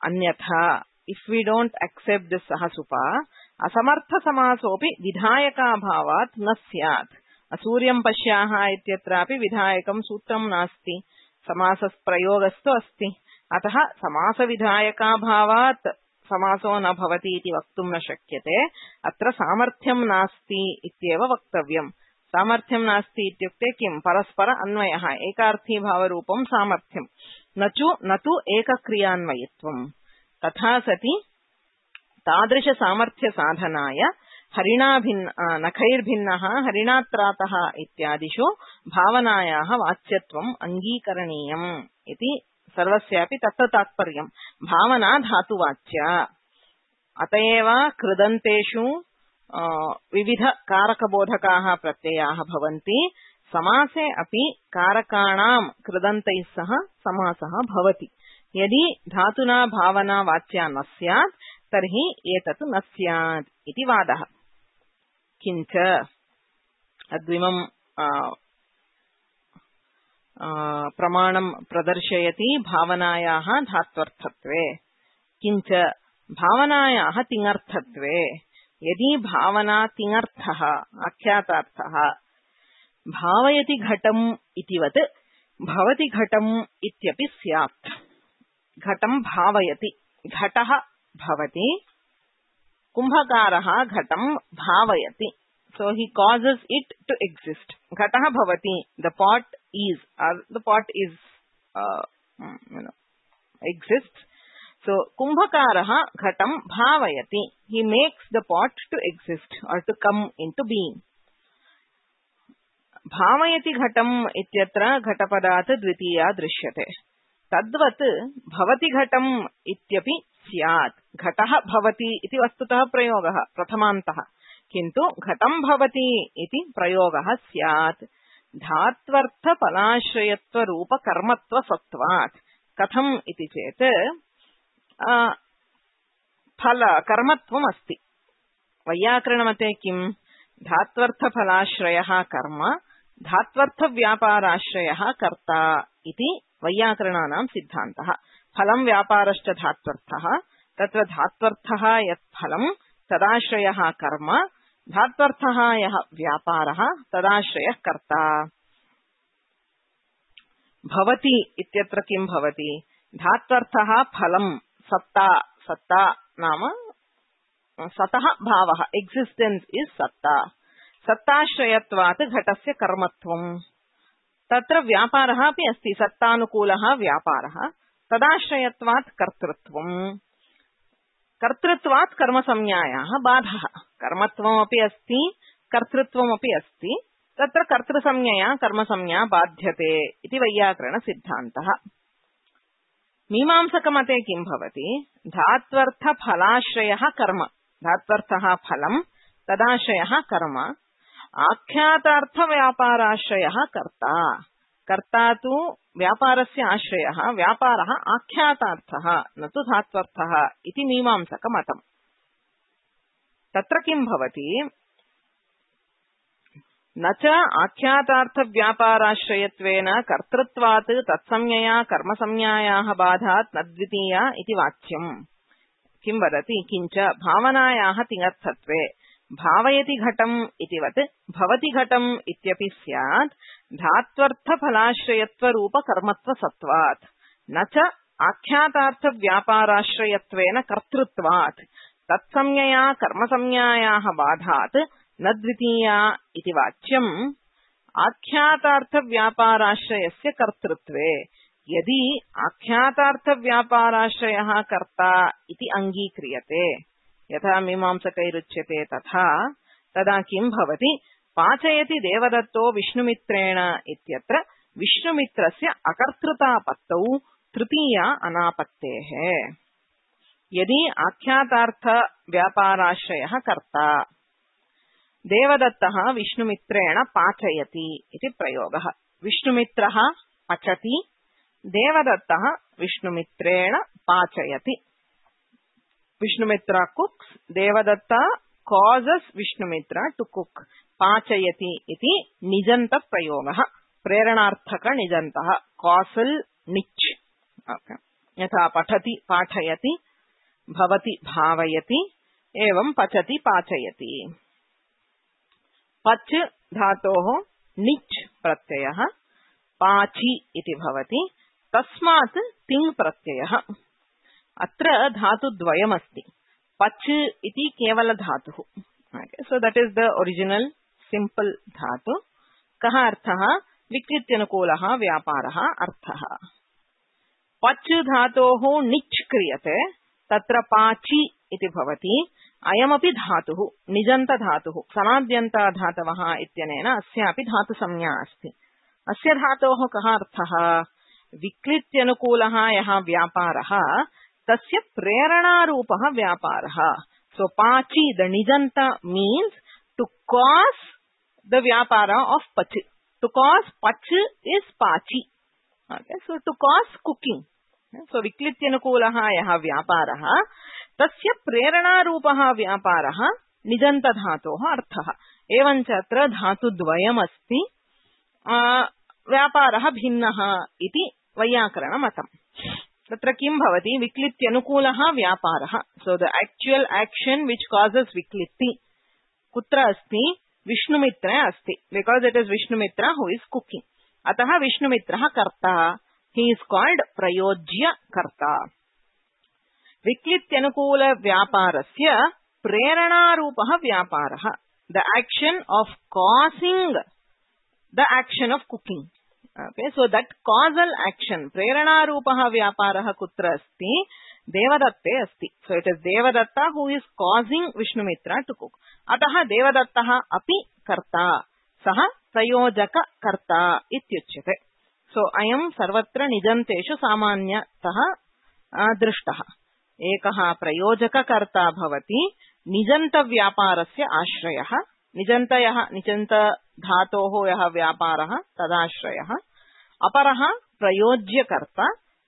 Anyatha, if we don't accept this sahasupa, asamartha samasopi vidhayaka bhavat na syat. Asuryam pashyaha ityatrapi vidhayakam sutram nasti. Samasas prayogastu asti. Ataha samasa vidhayaka bhavat समासो न भवति इति वक्तुं न शक्यते. अत्र सामर्थ्यं नास्ति इत्येव वक्तव्यम्. सामर्थ्यं नास्ति इत्युक्ते किं? परस्पर अन्वयः, एकार्थी भावरूपं सामर्थ्यं, न तु न तु एकक्रियान्वयित्वम्. तथा सति तादृश सामर्थ्य साधनाय हरिणाभिन्न नखैर्भिन्नः हरिणात्रातः इत्यादिषु भावनायाः वाच्यत्वम् अङ्गीकरणीयम् इति सर्वस्यापि तत्र तात्पर्यम्. भावना धातुवाच्या. अतएव कृदन्तेषु विविध कारकबोधकाः प्रत्ययाः भवन्ति. समासे अपि कारकाणां कृदन्तैः सह समासः भवति. यदि धातुना भावना वाच्या न स्यात् तर्हि एतत् न स्यात् इति वादः. किञ्च अद्विमं प्रमाणं प्रदर्शयति भावनायाः धात्वर्थत्वे. किञ्च भावनायाः तिङर्थत्वे. यदि भावना तिङर्थः आख्यातार्थः भावयति घटम् इतिवत् भवति घटम् इत्यपि स्यात्. घटं भावयति, घटः भवति, कुम्भकारः घटं भावयति. So he causes it to exist. Ghatah bhavati, the pot is, or the pot is, uh, you know, exists. So kumbhakaraha ghatam bhavayati. He makes the pot to exist or to come into being. Bhavayati ghatam ityatra ghatapadat dvitiya drishyate. Tadvat bhavati ghatam ityapi syat. Ghatah bhavati iti vastutah prayogah prathamaantah. किन्तु घटं भवति इति प्रयोगः स्यात्. धात्वर्थ फलाश्रयत्व रूप कर्मत्व सत्वात्. कथम् इति चेत् फल कर्मत्वम् अस्ति. वैयाकरणमते किम्? धात्वर्थ फलाश्रयः कर्म, धात्वर्थ व्यापाराश्रयः कर्ता इति वैयाकरणानां सिद्धान्तः. फलं व्यापारश्च धात्वर्थः. तत्र धात्वर्थः यत् फलं तदाश्रयः कर्म, धात्वर्थः यः व्यापारः तदाश्रयः कर्ता. भवति इत्यत्र किं भवति? धात्वर्थः फलं सत्ता. सत्ता नाम सतः भावः, एक्सिस्टेन्स् इस् सत्ता. सत्ताश्रयत्वात् घटस्य कर्मत्वम्. तत्र व्यापारः अपि अस्ति. सत्तानुकूलः व्यापारः. तदाश्रयत्वात् कर्तृत्वम्. कर्तृत्वात् कर्मसंज्ञायाः बाधः. कर्मत्वमपि अस्ति, कर्तृत्वमपि अस्ति. तत्र कर्तृसंज्ञया कर्मसंज्ञा बाध्यते इति वैयाकरणसिद्धान्तः. मीमांसकमते किं भवति? धात्वर्थफलाश्रयः कर्म. धात्वर्थः फलं, तदाश्रयः कर्म. आख्यातार्थव्यापाराश्रयः कर्ता. कर्ता तु व्यापारस्य आश्रयः, व्यापारः आख्यातार्थः न तु धात्वर्थः इति मीमांसकमतम्. तत्र किं भवति? न च आख्यातार्थव्यापाराश्रयत्वेन कर्तृत्वात् तत्संज्ञया कर्मसंज्ञायाः बाधात् न द्वितीया इति वाच्यम्. किं वदति? किञ्च भावनायाः तिङर्थत्वे भावयति घटम् इतिवत् भवति घटम् इत्यपि स्यात्. धात्वर्थफलाश्रयत्वरूप कर्मत्वसत्वात् न च आख्यातार्थव्यापाराश्रयत्वेन कर्तृत्वात् तत्संज्ञया कर्मसंज्ञायाः बाधात् न द्वितीया इति वाच्यम्. आख्यातार्थव्यापाराश्रयस्य कर्तृत्वे यदि आख्यातार्थव्यापाराश्रयः कर्ता इति अङ्गीक्रियते, यथा मीमांसकैरुच्यते तथा, तदा किं भवति? पाचयति देवदत्तो विष्णुमित्रेण इत्यत्र विष्णुमित्रस्य अकर्तृतापत्तौ तृतीया अनापत्तेः. यदि आख्यातार्थ व्यापाराश्रयः कर्ता, देवदत्तः विष्णुमित्रेण पाचयति इति प्रयोगः. विष्णुमित्रः पचति, देवदत्तः विष्णुमित्रेण पाचयति. विष्णुमित्रा cooks, Devdatta causes विष्णुमित्रा to cook. पाचयति इति निजन्त प्रयोगः, प्रेरणार्थक निजन्तः, causal निच्. okay. यथा पठति पाठयति, भवति भावयति, एवं पचति पाचयति. पच धातोः निच् प्रत्ययः पाचि इति भवति, तस्मात् तिङ् प्रत्ययः. अत्र धातुद्वयमस्ति. पच इति केवल धातुः. So that is the original simple धातु. कः अर्थः? विकृत्यनुकूलः व्यापारः अर्थः. पच धातोः निच् क्रियते, तत्र पाचि इति भवति. अयमपि धातुः निजन्त धातुः, सनाद्यन्त धातवः इत्यनेन अस्यापि धातुसंज्ञा अस्ति. अस्य धातोः कः अर्थः? विकृत्यनुकूलः यः व्यापारः तस्य प्रेरणारूपः व्यापारः. सो पाचि द निजन्त मीन्स टू कॉज द व्यापार ऑफ पच. टू कॉज पच इज पाचि. Okay, so to cause cooking. So विकृत्यनुकूलः यः व्यापारः तस्य प्रेरणारूपः व्यापारः निजन्त धातोः अर्थः. एवञ्च अत्र धातुद्वयमस्ति. व्यापारः भिन्नः इति वैयाकरणमतम्. तत्र किं भवति? विक्लित्यनुकूलः व्यापारः. So the actual action which causes विक्लित्ति कुत्र अस्ति? विष्णुमित्रे अस्ति. Because it is Vishnumitra who is cooking. अतः विष्णुमित्रः कर्ता. ही इज कॉल्ड प्रयोज्य कर्ता. विक्लित्यनुकूल व्यापारस्य प्रेरणारूपः व्यापारः. The action of causing the action of cooking. Okay, so that causal action, प्रेरणारूपः व्यापारः कुत्र अस्ति? देवदत्ते अस्ति. So it is Devadatta who is causing Vishnumitra to cook. अतः देवदत्तः अपि कर्ता, सः प्रयोजक कर्ता इत्युच्यते. So अयं सर्वत्र निजन्तेषु सामान्यतः दृष्टः. एकः प्रयोजककर्ता भवति निजन्तव्यापारस्य आश्रयः. निजन्तयः निजन्त धातोः यः व्यापारः तदाश्रयः. अपरः प्रयोज्यकर्ता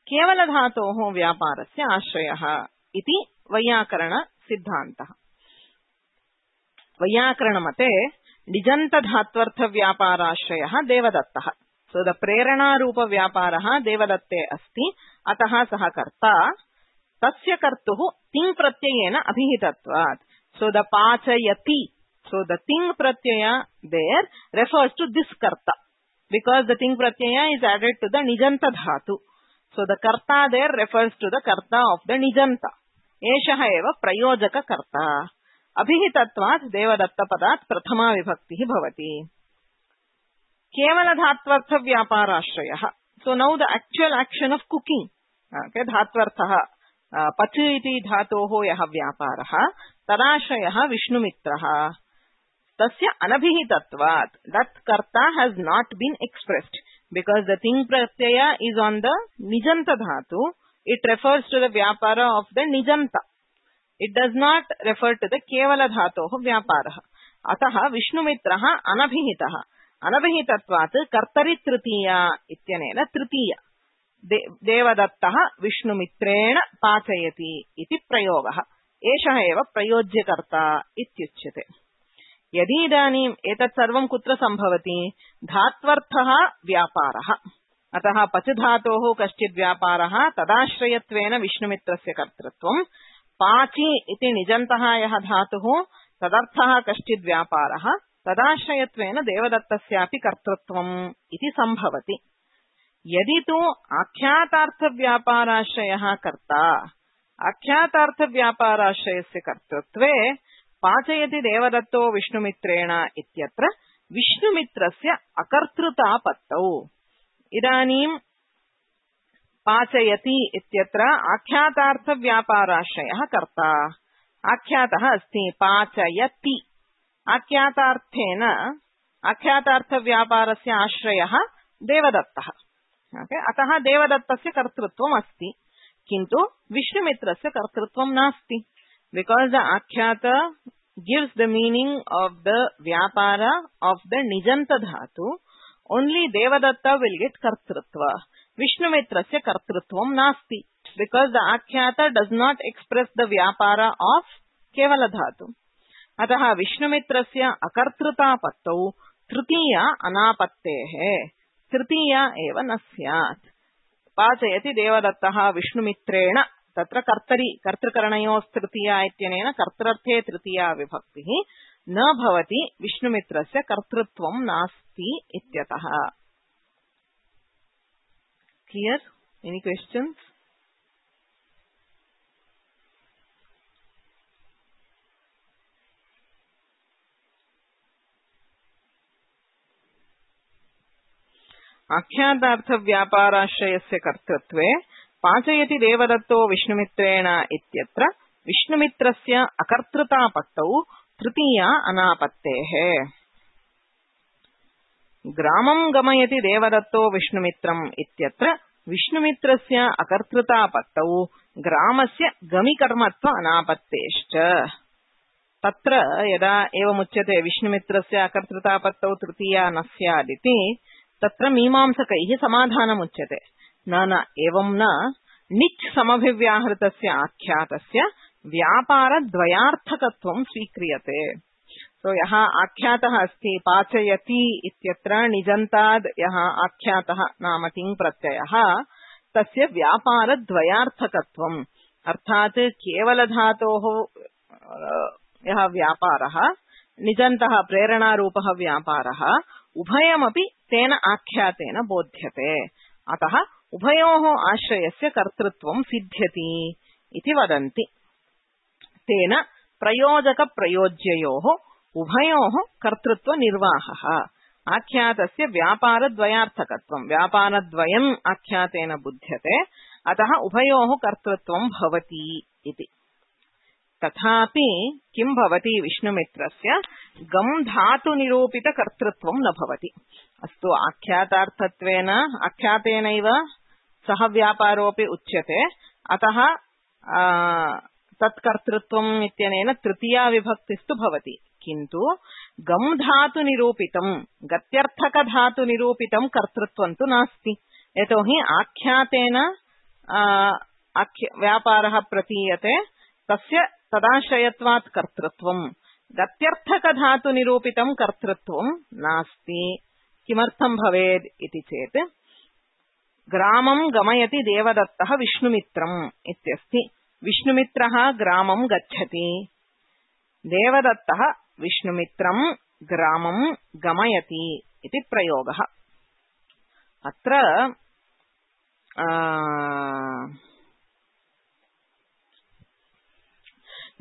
केवल धातोः व्यापारस्य आश्रयः इति वैयाकरण सिद्धान्तः. वैयाकरणमते निजन्त धात्वर्थ व्यापाराश्रयः देवदत्तः. सो द प्रेरणारूप व्यापारः देवदत्ते अस्ति. अतः सः कर्ता. तस्य कर्तुः तिङ् प्रत्ययेन अभिहितत्वात्. सो द पाचयति. So the ting pratyaya there refers to this karta, because the ting pratyaya is added to the nijanta dhatu. So the karta there refers to the karta of the nijanta. Eshah eva prayojaka karta. Abhihitatvat devadatta padat prathama vibhakti bhavati. Kevala dhatvartha vyaparashrayah. So now the actual action of cooking. Okay, dhatvartha pach iti dhatoho yah vyaparah tadashrayah vishnumitrah. Tasya anabhihitatvat. That karta has not been expressed because the ting pratyaya is on the nijanta dhatu. It refers to the vyapara of the nijanta. It does not refer to the kevala dhatoh vyapara. Ataha vishnumitrah anabhihitah. Anabhihitatvat kartari tritiya ityanena tritiya. Devadattah vishnumitrena pachayati iti prayogah. Eshah eva prayojyakarta ityuchyate. यदि इदानीम् एतत् सर्वं कुत्र सम्भवति? धात्वर्थः व्यापारः. अतः पच धातोः कश्चित् व्यापारः तदाश्रयत्वेन विष्णुमित्रस्य कर्तृत्वं. पाचि इति निजन्तः यः धातुः तदर्थः कश्चित् व्यापारः तदाश्रयत्वेन देवदत्तस्यापि कर्तृत्वम् इति सम्भवति. यदि तु आख्यातार्थव्यापाराश्रयः कर्ता, आख्यातार्थव्यापाराश्रयस्य कर्तृत्वे पाचयति देवदत्तो विष्णुमित्रेण इत्यत्र विष्णुमित्रस्य अकर्तृतापत्तौ. इदानीं पाचयति इत्यत्र आख्यातार्थव्यापाराश्रयः कर्ता. आख्यातः अस्ति पाचयति. आख्यातार्थेन आख्यातार्थव्यापारस्य आश्रयः देवदत्तः. ओके, अतः देवदत्तस्य कर्तृत्वम् अस्ति, किन्तु विष्णुमित्रस्य कर्तृत्वं नास्ति. Because the akhyata gives the meaning of the vyapara of the nijanta dhatu, only Devadatta will get kartrutva. Vishnumitrasya kartrutvam nasti, because the Akhyata does not express the vyapara of Kevala Dhatu. Ataha Vishnumitrasya akartruta pattau tritiya anapattehe tritiya eva nasyat. Pachayati Devadattaha Vishnumitrena tatra kartari kartrakaranayos tritiya ityanena kartrarthe tritiya vibhaktihi न भवति विष्णुमित्रस्य कर्तृत्वं नास्ति इत्यतः. Clear? Any questions? आख्यातार्थ व्यापाराश्रयस्य कर्तृत्वे पाचयति देवदत्तो विष्णुमित्रेण इत्यत्र विष्णुमित्रस्य अकर्तृतापत्तौ तृतीया अनापत्तेः. ग्रामं गमयति देवदत्तो विष्णुमित्रम् इत्यत्र विष्णुमित्रस्य अकर्तृतापत्तौ ग्रामस्य गमिकर्मत्व अनापत्तेश्च. तत्र यदा एवमुच्यते विष्णुमित्रस्य अकर्तृतापत्तौ तृतीया न स्यादिति तत्र मीमांसकैः समाधानमुच्यते. न न एवं न, निच् समभिव्याहृतस्य आख्यातस्य व्यापारद्वयार्थकत्वं स्वीक्रियते. सो यः आख्यातः अस्ति पाचयति इत्यत्र निजन्ताद् यः आख्यातः नाम तिङ् प्रत्ययः तस्य व्यापारद्वयार्थकत्वम्, अर्थात् केवलधातोः यः व्यापारः निजन्तः प्रेरणारूपः व्यापारः उभयमपि तेन आख्यातेन बोध्यते. अतः उभयोः आश्रयस्य कर्तृत्वं सिद्ध्यति इति वदन्ति. तेन प्रयोजकप्रयोज्ययोः उभयोः कर्तृत्वनिर्वाहः. आख्यातस्य व्यापारद्वयार्थकत्वं, व्यापारद्वयम् आख्यातेन बुध्यते, अतः उभयोः कर्तृत्वं भवति इति. तथापि किं भवति विष्णुमित्रस्य गम् धातुनिरूपितकर्तृत्वं न भवति. अस्तु, आख्यातार्थत्वेन आख्यातेनैव सह व्यापारोऽपि उच्यते, अतः तत्कर्तृत्वम् इत्यनेन तृतीया विभक्तिस्तु भवति. किन्तु गम् धातुनिरूपितं गत्यर्थकधातुनिरूपितं कर्तृत्वं तु नास्ति. यतोहि आख्यातेन व्यापारः प्रतीयते, तस्य तदाश्रयत्वात् कर्तृत्वं, गत्यर्थकधातुनिरूपितं कर्तृत्वं नास्ति. किमर्थं भवेत् इति चेत् ग्रामं गमयति देवदत्तः विष्णुमित्रम् इत्यस्ति. विष्णुमित्रः ग्रामं गच्छति, देवदत्तः विष्णुमित्रं ग्रामं गमयति इति प्रयोगः. अत्र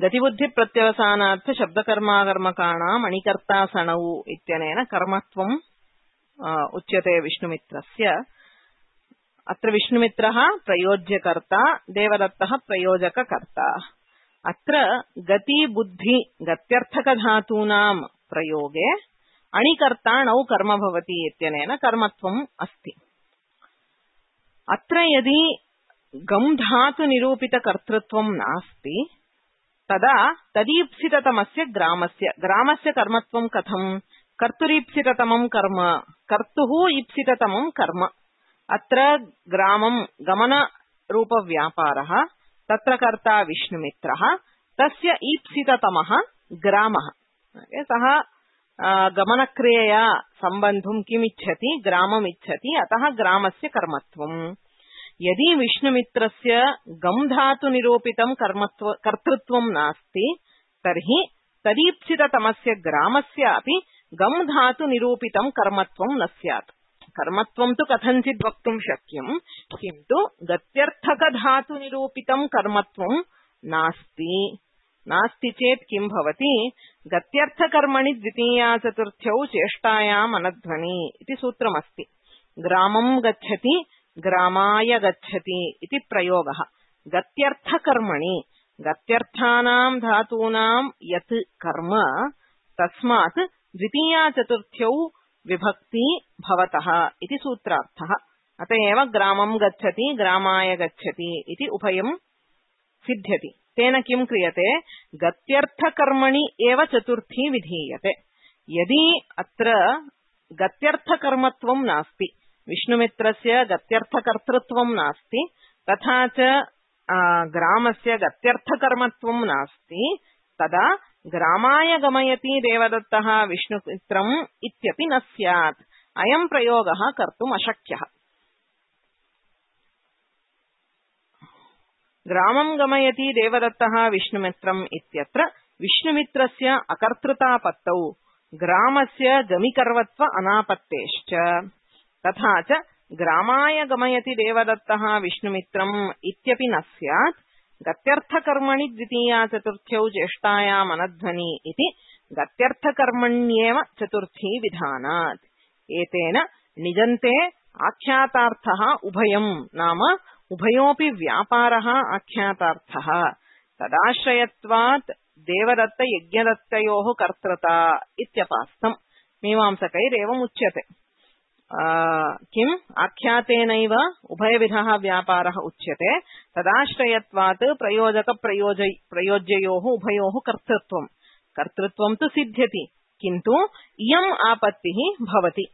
गतिबुद्धिप्रत्यवसानार्थ शब्दकर्माकर्मकाणाम् अणिकर्तासणौ इत्यनेन कर्मत्वम् उच्यते विष्णुमित्रस्य. अत्र विष्णुमित्रः प्रयोज्यकर्ता, देवदत्तः प्रयोजककर्ता. अत्र गति बुद्धि गत्यर्थकधातूनां प्रयोगे अणिकर्ताणौ कर्म भवति इत्यनेन कर्मत्वम् अस्ति. अत्र यदि गम् धातुनिरूपितकर्तृत्वं नास्ति तदा तदीप्सिततमस्य ग्रामस्य ग्रामस्य कर्मत्वं कथं? कर्तुरीप्सिततमं कर्म, कर्तुः ईप्सिततमं कर्म. अत्र ग्रामं गमनरूपव्यापारः, तत्र कर्ता विष्णुमित्रः, तस्य ईप्सिततमः ग्रामः. सः गमनक्रियया सम्बन्धुं किमिच्छति? ग्राममिच्छति, अतः ग्रामस्य कर्मत्वम्. यदि विष्णुमित्रस्य गम् धातुनिरूपितं कर्मत्व कर्तृत्वं नास्ति तर्हि तदीप्सिततमस्य ग्रामस्यापि गम् धातुनिरूपितं कर्मत्वं न स्यात्. कर्मत्वं तु कथञ्चित् वक्तुं शक्यं, किन्तु गत्यर्थकधातुनिरूपितं कर्मत्वं नास्ति. नास्ति चेत् किं भवति? गत्यर्थकर्मणि द्वितीया चतुर्थ्यौ चेष्टायाम् अनध्वनि इति सूत्रमस्ति. ग्रामं गच्छति, ग्रामाय गच्छति इति प्रयोगः. गत्यर्थकर्मणि गत्यर्थानां धातूनां यत् कर्म, तस्मात् द्वितीया चतुर्थ्यौ विभक्ति भवतः इति सूत्रार्थः. अतएव ग्रामं गच्छति, ग्रामाय गच्छति इति उभयं सिद्ध्यति. तेन किं क्रियते? गत्यर्थकर्मणि एव चतुर्थी विधीयते. यदि अत्र गत्यर्थकर्मत्वं नास्ति, विष्णुमित्रस्य गत्यर्थकर्तृत्वं नास्ति, तथा च ग्रामस्य गत्यर्थकर्मत्वं नास्ति, तदा ग्रामाय गमयति देवदत्तः विष्णुमित्रम् इत्यपि न स्यात्। अयं प्रयोगः कर्तुम् अशक्यः। ग्रामं गमयति देवदत्तः विष्णुमित्रम् इत्यत्र विष्णुमित्रस्य अकर्तृतापत्तौ ग्रामस्य गमिकर्वत्व अनापत्तेश्च, तथा च ग्रामाय गमयति देवदत्तः विष्णुमित्रम् इत्यपि न स्यात्। गत्यर्थकर्मणि द्वितीया चतुर्थ्यौ ज्येष्ठायाम् अनध्वनि इति गत्यर्थकर्मण्येव चतुर्थी विधानात्। एतेन निजन्ते आख्यातार्थः उभयम् नाम उभयोऽपि व्यापारः आख्यातार्थः तदाश्रयत्वात् देवदत्त यज्ञदत्तयोः कर्तृता इत्यपास्तम्। मीमांसकैरेवम् उच्यते। किम् आख्यातेनैव उभयविधः व्यापारः उच्यते, तदाश्रयत्वात् प्रयोजक प्रयोज प्रयोज्ययोः उभयोः कर्तृत्वम् कर्तृत्वं तु सिद्ध्यति, किन्तु इयम् आपत्तिः भवति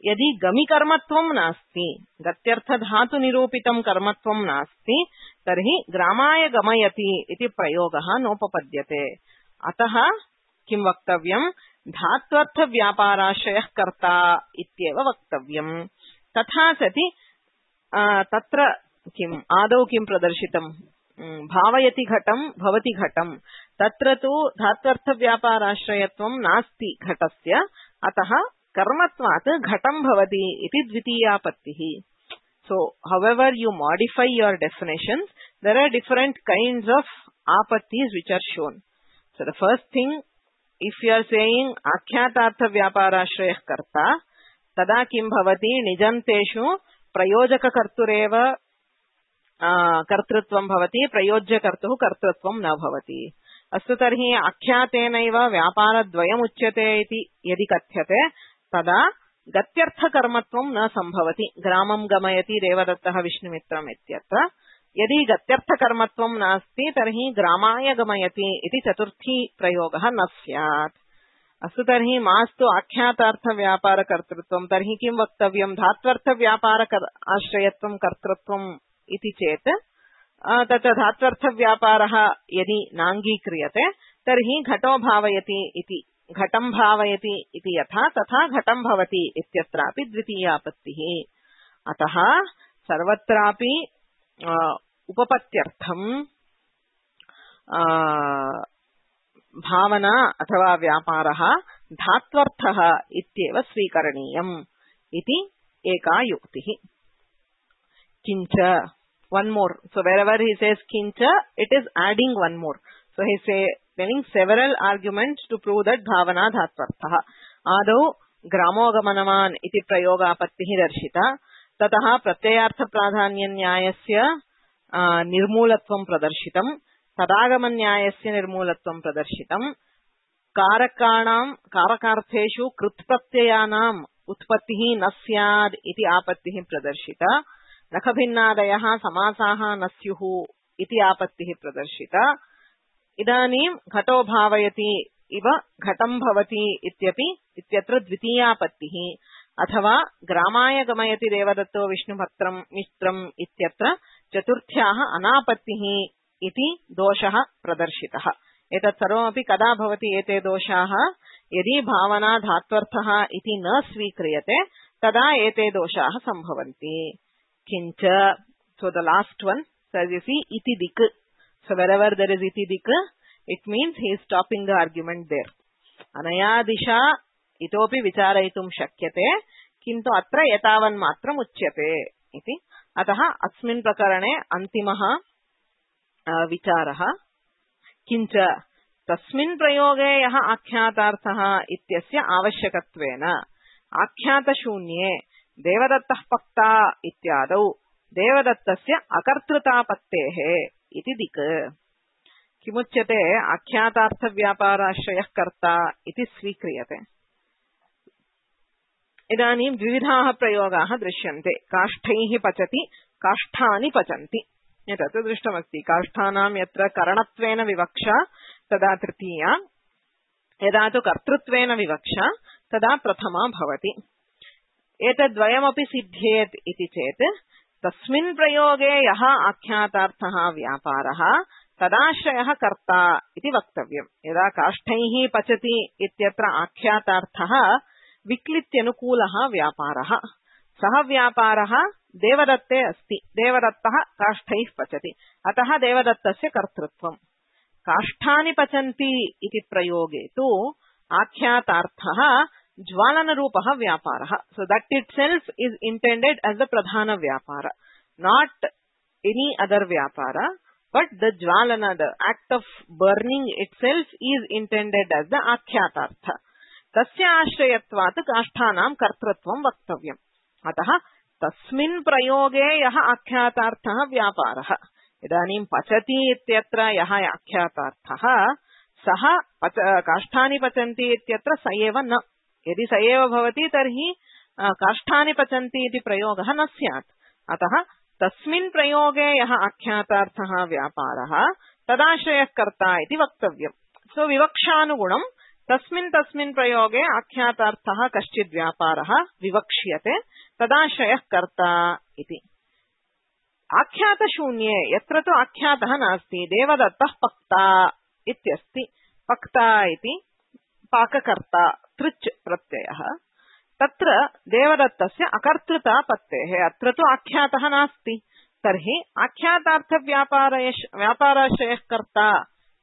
यदि गमिकर्मत्वं नास्ति, गत्यर्थधातुनिरूपितं कर्मत्वं नास्ति, तर्हि ग्रामाय गमयति इति प्रयोगः नोपपद्यते। अतः किं वक्तव्यम्? धात्वर्थव्यापाराश्रयः कर्ता इत्येव वक्तव्यम्। तथा सति तत्र किम् आदौ किं प्रदर्शितम्? भावयति घटं भवति घटं, तत्र तु धात्वर्थव्यापाराश्रयत्वं नास्ति घटस्य, अतः कर्मत्वात् घटं भवति इति द्वितीयापत्तिः। So however you modify your definitions, there are different kinds of apattis which are shown. So the first thing, if you are saying akhyataartha vyaparashrayah karta, tada kim bhavati nijanteshu prayojaka kartureva kartrutvam bhavati prayojya kartuh kartrutvam na bhavati. अस्तु तर्हि आख्यातेनैव व्यापारद्वयम् उच्यते इति यदि कथ्यते तदा गत्यर्थकर्मत्वं न सम्भवति। ग्रामं गमयति देवदत्तः विष्णुमित्रम् इत्यत्र यदि गत्यर्थकर्मत्वं नास्ति तर्हि ग्रामाय गमयति इति चतुर्थी प्रयोगः न स्यात्। अस्तु तर्हि मास्तु आख्यातार्थव्यापारकर्तृत्वं, तर्हि किं वक्तव्यं? धात्वर्थव्यापार आश्रयत्वं कर्तृत्वम् इति चेत् तत् धात्वर्थव्यापारः यदि नाङ्गीक्रियते तर्हि घटो भावयति इति घटं भावयति इति यथा तथा घटं भवति इत्यत्रापि द्वितीयापत्तिः। अतः सर्वत्रापि उपपत्त्यर्थं भावना अथवा व्यापारः धात्वर्थः इत्येव स्वीकरणीयम् इति एका युक्तिः। किञ्च one more. So wherever he says kincha, it is adding one more. So he is telling several arguments to prove that bhavana dhatvartha. Adau gramogamanaman iti prayogapattihi darshita. Tatah pratyayartha pradhanya nyayasya nirmulatvam pradarshitam. Tadagaman nyayasya nirmulatvam pradarshitam. Karakanam karakartheshu krutpratyayanam utpattihi nasyad iti apattihi pradarshita. नखभिन्नादयः समासाः न स्युः इति आपत्तिः प्रदर्शिता। इदानीं घटो भावयति इव घटं भवति इत्यपि इत्यत्र द्वितीयापत्तिः। अथवा ग्रामाय गमयति देवदत्तो विष्णुभक्त्रं मित्रम् इत्यत्र चतुर्थ्याः अनापत्तिः इति दोषः प्रदर्शितः। एतत् सर्वमपि कदा भवति एते दोषाः? यदि भावना धात्वर्थः इति न स्वीक्रियते तदा एते दोषाः सम्भवन्ति। Kincha, so the last one, so as you see, iti dik. So wherever there is iti dik, it means he is stopping the argument there. Anaya disha itopi vicharaitum shakyate, kintu atra yatavan matram uchyate iti. Ataha asmin prakarane antimaha vicharaha. Kincha tasmin prayoge yaha akhyatarthaha ityasya avashyakatvena akhyata shunye देवदत्तः पक्ता इत्यादौ देवदत्तस्य अकर्तृतापत्तेः इति दिक्। किमुच्यते? आख्यातार्थव्यापाराश्रयः कर्ता इति स्वीक्रियते। इदानीं द्विविधाः प्रयोगाः दृश्यन्ते। काष्ठैः पचति, काष्ठानि पचन्ति। एतत् दृष्टमस्ति। काष्ठानां यत्र करणत्वेन विवक्षा तदा तृतीया, यदा तु कर्तृत्वेन विवक्षा तदा प्रथमा भवति। एतद्वयमपि सिद्ध्येत् इति चेत् तस्मिन् प्रयोगे यः आख्यातार्थः व्यापारः तदाश्रयः कर्ता इति वक्तव्यम्। यदा काष्ठैः पचति इत्यत्र आख्यातार्थः विक्लित्यनुकूलः व्यापारः, सः व्यापारः देवदत्ते अस्ति, देवदत्तः काष्ठैः पचति, अतः देवदत्तस्य कर्तृत्वम्। काष्ठानि पचन्ति इति प्रयोगे तु आख्यातार्थः ज्वालनरूपः व्यापारः, so that itself is intended as the pradhana vyapara, not any other vyapara, but the jwalana, the act of burning itself is intended as the akhyātartha. तस्य आश्रयत्वात् काष्ठानां कर्तृत्वं वक्तव्यम्। अतः तस्मिन् प्रयोगे यः आख्यातार्थः व्यापारः, इदानीं पचति इत्यत्र यः आख्यातार्थः सः पच काष्ठानि पचन्ति इत्यत्र स एव न, यदि स एव भवति तर्हि काष्ठानि पचन्ति इति प्रयोगः न स्यात्। अतः तस्मिन् प्रयोगे यः आख्यातार्थः व्यापारः तदाश्रयः कर्ता इति वक्तव्यम्। सो विवक्षानुगुणं तस्मिन् तस्मिन् प्रयोगे आख्यातार्थः कश्चित् व्यापारः विवक्ष्यते, तदाश्रयः कर्ता इति। आख्यातशून्ये यत्र तु आख्यातः नास्ति, देवदत्तः पक्ता इत्यस्ति, पक्ता इति पाककर्ता तृच् प्रत्ययः, तत्र देवदत्तस्य अकर्तृतापत्तेः, अत्र तु आख्यातः नास्ति, तर्हि आख्यातार्थव्यापारयश् व्यापाराश्रयः कर्ता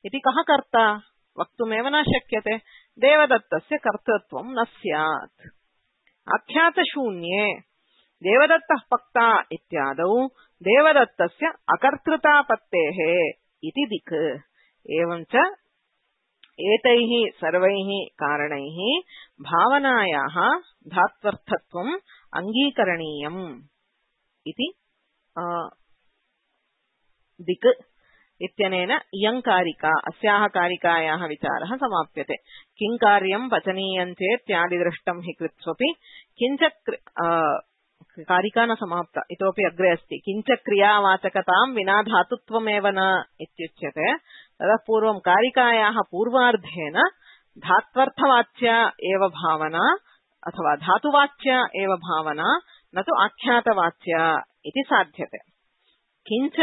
इति कः कर्ता वक्तुमेव न शक्यते, देवदत्तस्य कर्तृत्वं न स्यात्। आख्यातशून्ये देवदत्तः पक्ता इत्यादौ देवदत्तस्य अकर्तृतापत्तेः इति दिक्। एवञ्च एतैः सर्वैः कारणैः भावनायाः धात्वर्थत्वम् अङ्गीकरणीयम् इति दिक् इत्यनेन इयं कारिका, अस्याः कारिकायाः विचारः समाप्यते। किं कार्यं पचनीयं चेत्यादिदृष्टं हि कृत्स्वपि किञ्च कारिका न समाप्ता, इतोपि अग्रे अस्ति। किञ्च क्रियावाचकतां विना धातुत्वमेव न इत्युच्यते। ततः पूर्वं कारिकायाः पूर्वार्धेन धात्वर्थवाच्या एव भावना अथवा धातुवाच्या एव भावना, न तु आख्यातवाच्या इति साध्यते। किञ्च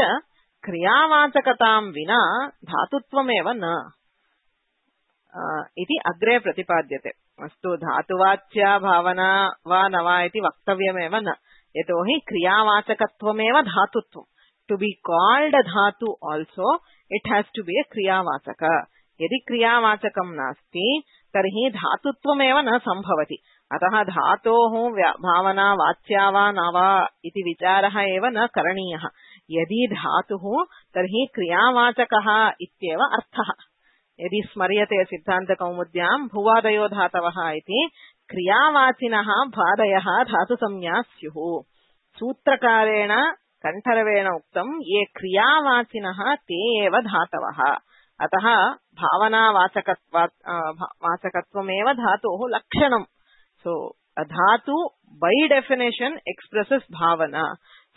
क्रियावाचकतां विना धातुत्वमेव न इति अग्रे प्रतिपाद्यते। अस्तु, धातुवाच्या भावना वा न वा इति वक्तव्यमेव न, यतोहि क्रियावाचकत्वमेव धातुत्वम्। To be called dhatu also it has to be a kriyavachak. यदि क्रियावाचकं नास्ति तर्हि धातुत्वमेव न संभवति। अतः धातोः भावना वाच्या वा न वा इति विचारः एव न करणीयः। यदि धातुः तर्हि क्रियावाचकः इत्येव अर्थः। यदि स्मर्यते सिद्धान्तकौमुद्यां भुवादयो धातवः इति, क्रियावाचिनः भादयः धातुसंज्ञा स्युः। सूत्रकारेण कण्ठरवेण उक्तं ये क्रियावाचिनः ते एव धातवः। अतः भावनावाचकत्वात् वाचकत्वमेव धातोः लक्षणम्। सो a dhatu by definition expresses bhavana.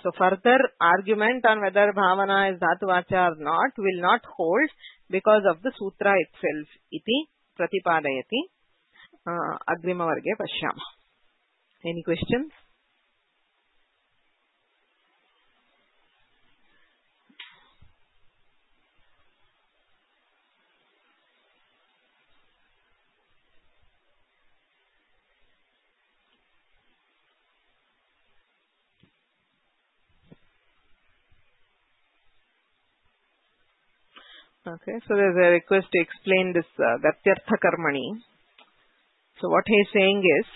So further argument on whether bhavana is dhatu vacha or not will not hold because of the sutra itself. Iti pratipadayati. Uh, agrima varge pashyama. Any questions? Okay, so there's a request to explain this uh, Gatyartha Karmani. So what he is saying is,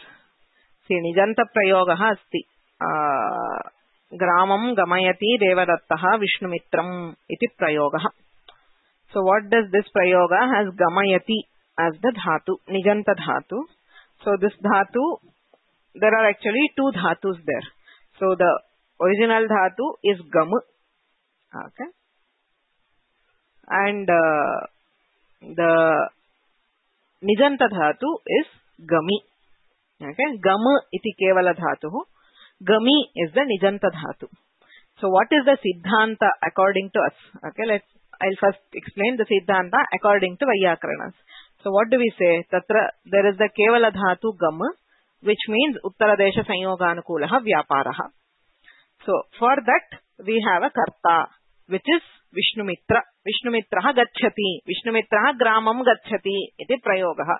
see, Nijanta Prayogaha asti uh, Gramam Gamayati Devadattaha Vishnumitram iti Prayogaha. So what does this Prayoga has Gamayati as the Dhatu, Nijanta Dhatu. So this Dhatu, there are actually two Dhatus there. So the original Dhatu is Gam. Okay. And uh, the Nijanta Dhatu is Gami. Okay, Gam iti kevala dhatu. Gami is the Nijanta Dhatu. So what is the Siddhanta according to us? Okay, let's, I'll first explain the Siddhanta according to Vyakarnas. So what do we say? Tatra, there is the kevala dhatu Gam which means Uttaradesha Sanyoganukulah Vyaparaha. So for that we have a karta, which is Vishnumitra. Vishnumitraha gacchati. Vishnumitraha gramam gacchati. Iti prayogaha.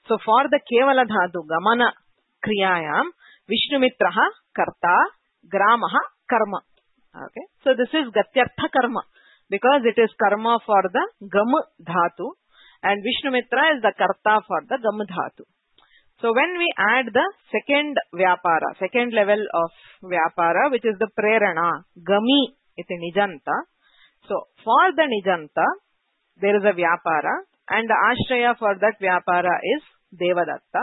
So for the Kevala Dhatu Gamana Kriyayam, Vishnumitraha karta, gramaha karma. Okay. So this is Gatyartha karma, because it is karma for the Gam Dhatu, and Vishnumitra is the karta for the Gam Dhatu. So when we add the second Vyapara, second level of Vyapara, which is the Prerana, Gami iti Nijanta. So for the Nijanta, there is a Vyapara, and the Ashraya for that Vyapara is Devadatta.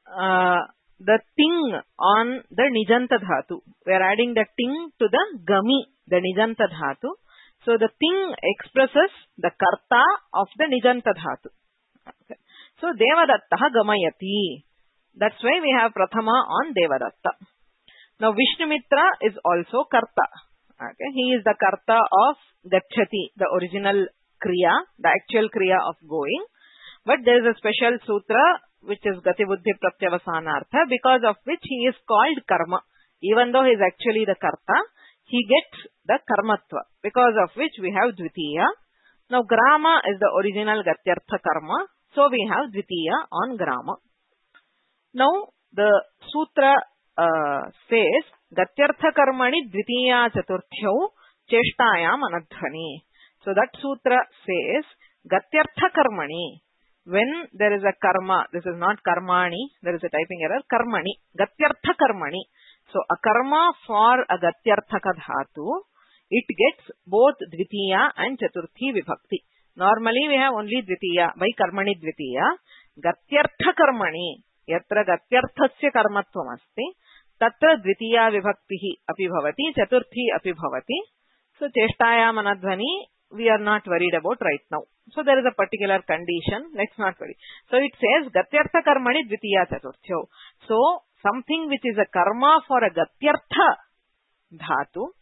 Uh, the ting on the Nijanta Dhatu, we are adding the ting to the Gami, the Nijanta Dhatu. So the ting expresses the karta of the Nijanta Dhatu. Okay. So Devadattaha Gamayati. That's why we have Prathama on Devadatta. Now Vishnumitra is also karta. Okay. He is the karta of Gacchati, the original Kriya, the actual Kriya of going. But there is a special sutra which is Gati Buddhi Pratyavasanartha, because of which he is called karma. Even though he is actually the karta, he gets the karmatva, because of which we have Dvitiya. Now Grama is the original Gatyartha karma. So we have Dvitiya on Grama. Now the sutra uh, says Gatyartha karmani Dvitiya chaturthyau cheshtayam anadhvani. So that sutra says Gatyartha karmani. When there is a karma, this is not karmani, there is a typing error, karmani, Gatyartha karmani. So a karma for a Gatyarthaka dhatu, it gets both Dvitiya and Chaturthi vibhakti. Normally we have only Dvitiya, by karmani Dvitiya. Gatyartha karmani, yatra Gatyarthasya karmatvam asti, tatra Dvitiya vibhaktihi api bhavati, Chaturthi api bhavati. So cheshtayam anadhvani, we are not worried about right now. So there is a particular condition, let's not worry. So it says Gatyartha karmani Dvitiya chaturthyo. So something which is a karma for a Gatyartha dhatu,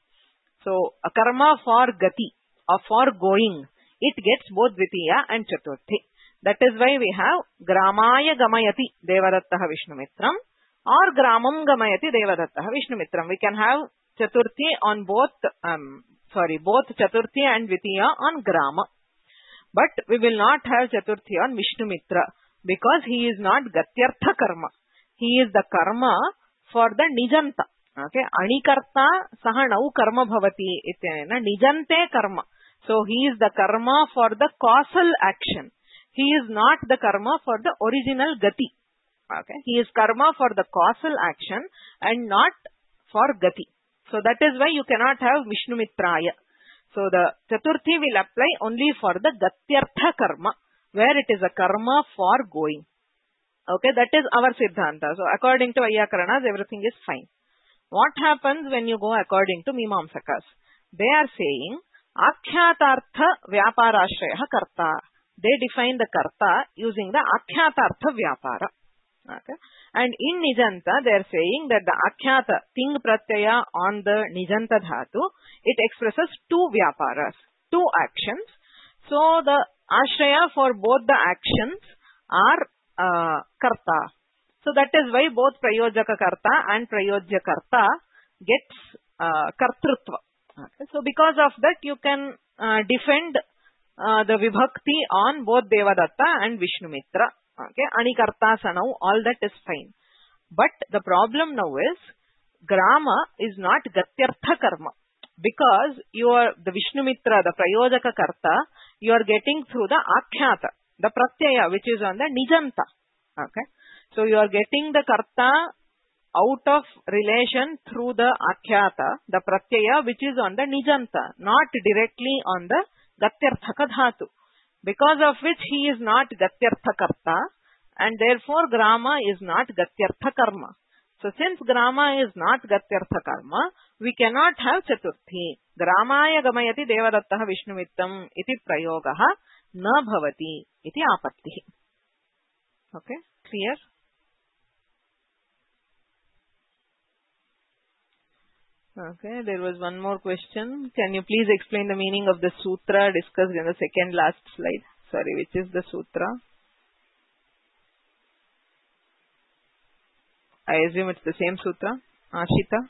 so a karma for Gati, or for going, it gets both Dvitiya and Chaturthi. That is why we have Gramaya Gamayati Devadattaha Vishnumitram, or Gramam Gamayati Devadattaha Vishnumitram. We can have Chaturthi on both, um, sorry, both Chaturthi and Dvitiya on Grama. But we will not have Chaturthi on Vishnumitra, because he is not Gatyartha karma. He is the karma for the Nijanta. Okay, Anikarta saha nau karma bhavati ityena Nijante karma. So he is the karma for the causal action. He is not the karma for the original Gati. Okay, he is karma for the causal action and not for Gati. So that is why you cannot have Vishnumitraya. So the Chaturthi will apply only for the Gatyartha karma, where it is a karma for going. Okay, that is our Siddhanta. So according to Vaiyakaranas, everything is fine. What happens when you go according to Mimamsakas? They are saying, Akhyatartha Vyaparashraya karta. They define the karta using the Akhyatartha Vyapara. Okay. And in Nijanta, they are saying that the Akhyata, Ting Pratyaya on the Nijanta Dhatu, it expresses two Vyaparas, two actions. So the Ashraya for both the actions are uh, Karta. So that is why both Prayojaka Karta and Prayojya Karta gets uh, Kartrutva. Okay. So because of that, you can uh, defend uh, the Vibhakti on both Devadatta and Vishnumitra. Okay, Anikarta Sanau, all that is fine. But the problem now is, Grama is not Gatyartha karma. Because you are, the Vishnumitra, the Prayojaka Karta, you are getting through the Akhyata, the Pratyaya, which is on the Nijanta. Okay. So you are getting the Karta out of relation through the Akhyata, the Pratyaya, which is on the Nijanta, not directly on the Gatyarthaka Dhatu. Because of which he is not Gatyartha Karta, and therefore Grama is not Gatyartha Karma. So since Grama is not Gatyartha Karma, we cannot have Chaturthi. Gramaya Gamayati Devadattaha Vishnumittam iti prayogaha na bhavati iti apatti. Okay, clear? Okay, there was one more question. Can you please explain the meaning of the sutra discussed in the second last slide? Sorry, which is the sutra? I assume it's the same sutra. Ashita?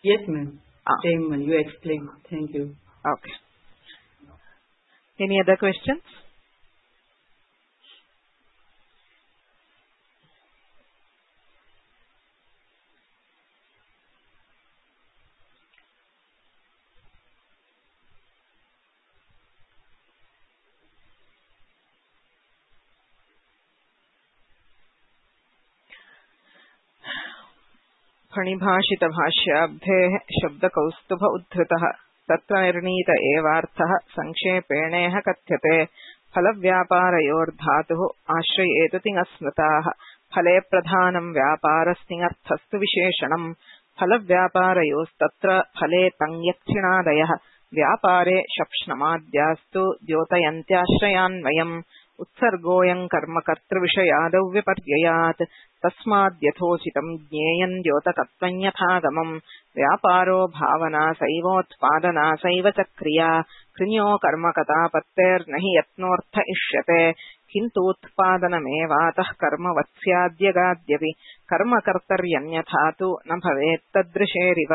Yes, ma'am. Ah. Same one. You explained. Thank you. Okay. Any other questions? फणिभाषित भाष्याब्धेः शब्दकौस्तुभ उद्धृतः तत्र निर्णीत एवार्थः संक्षेपेणेह कथ्यते फलव्यापारयोर्धातुः आश्रयेतु तिङस्मृताः फले प्रधानं व्यापारस्तिङर्थस्तु विशेषणम् फलव्यापारयोस्तत्र फले तङ्यक्षिणादयः व्यापारे शप्ष्णमाद्यास्तु द्योतयन्त्याश्रयान्वयम् उत्सर्गोऽयं कर्मकर्तृविषयादौ विपर्ययात् तस्माद्यथोचितं ज्ञेयं द्योतकत्वं यथागमम् व्यापारो भावना सैवोत्पादना सैव च क्रिया कृन्यो कर्मकतापत्तेर्न हि यत्नोऽर्थ इष्यते किन्तूत्पादनमेवातः कर्मवत् स्याद्यगाद्यपि कर्मकर्तर्यन्यथा तु न भवेत् तदृशेरिव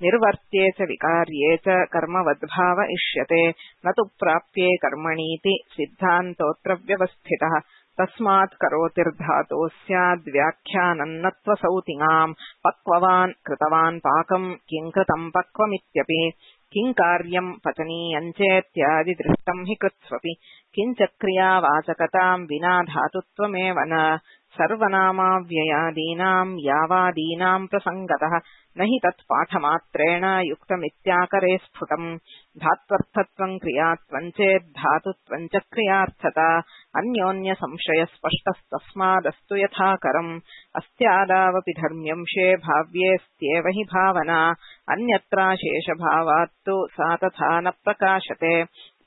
निर्वर्त्ये च विकार्ये च कर्मवद्भाव इष्यते न तु प्राप्ये कर्मणीति सिद्धान्तोऽत्र व्यवस्थितः तस्मात् करोतिर्धातोः स्याद्व्याख्यानन्नत्वसौ तिङाम् पक्ववान् कृतवान् पाकम् किं कृतं पक्वमित्यपि किं कार्यं पचनीयं चेत्यादि दृष्टं हि कृत्स्वपि किञ्च क्रियावाचकतां विना धातुत्वमेव न सर्वनामाव्ययादीनां यावादीनां प्रसङ्गतः न हि तत्पाठमात्रेण युक्तमित्याकरे स्फुटम् धात्वर्थत्वं क्रियात्वं चेत् धातुत्वं च क्रियार्थता अन्योन्य संशयस्पष्टस्तस्मादस्तु यथाकरम् अस्त्यादावपि धर्म्यंशे भाव्येऽस्त्येव हि भावना अन्यत्राशेषभावात्तु सा तथा न प्रकाशते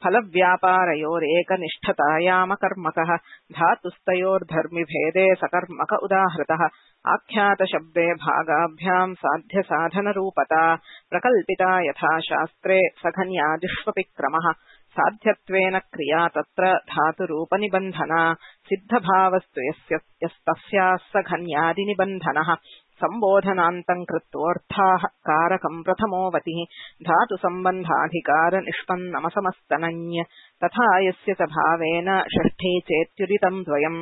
फलव्यापारयोरेकनिष्ठतायामकर्मकः धातुस्तयोर्धर्मिभेदे सकर्मक उदाहृतः आख्यातशब्दे भागाभ्यां साध्यसाधनरूपता प्रकल्पिता यथा शास्त्रे सघन्यादिष्वपि क्रमः साध्यत्वेन क्रिया तत्र धातुरूपनिबन्धना सिद्धभावस्तु यस्तस्याः सघन्यादिनिबन्धनः संबोधनान्तं कृत्वोऽर्थाः कारकं प्रथमोऽवतिः धातुसम्बन्धाधिकार निष्पन्नमसमस्तनञ् तथा यस्य च भावेन षष्ठी चेत्युदितं द्वयम्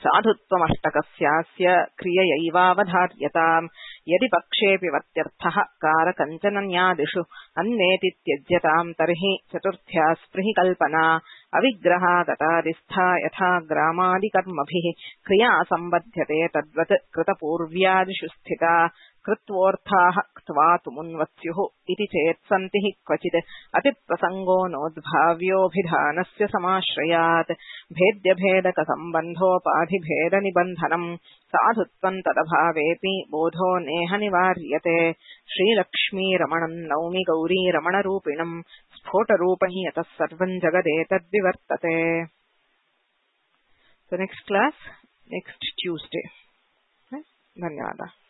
साधुत्वमष्टकस्यास्य क्रिययैवावधार्यताम् यदि पक्षेऽपि वत्यर्थः कारकञ्चनन्यादिषु अन्नेति त्यज्यताम् तर्हि चतुर्थ्या स्पृहि कल्पना अविग्रहागतादिस्था यथा ग्रामादिकर्मभिः क्रिया सम्बध्यते तद्वत् कृतपूर्व्यादिषु स्थिता कृत्वोऽर्थाः क्त्वा तुमुन्वत्स्युः इति चेत् सन्ति हि क्वचित् अतिप्रसङ्गो नोद्भाव्योऽभिधानस्य समाश्रयात् भेद्यभेदकसम्बन्धोपाधिभेदनिबन्धनम् साधुत्वं तदभावेऽपि बोधो नेह निवार्यते श्रीलक्ष्मीरमणं नौमि गौरीरमणरूपिणम् स्फोटरूपं यतः सर्वं जगदेतद्विवर्तते. So next class, next Tuesday. धन्यवादः.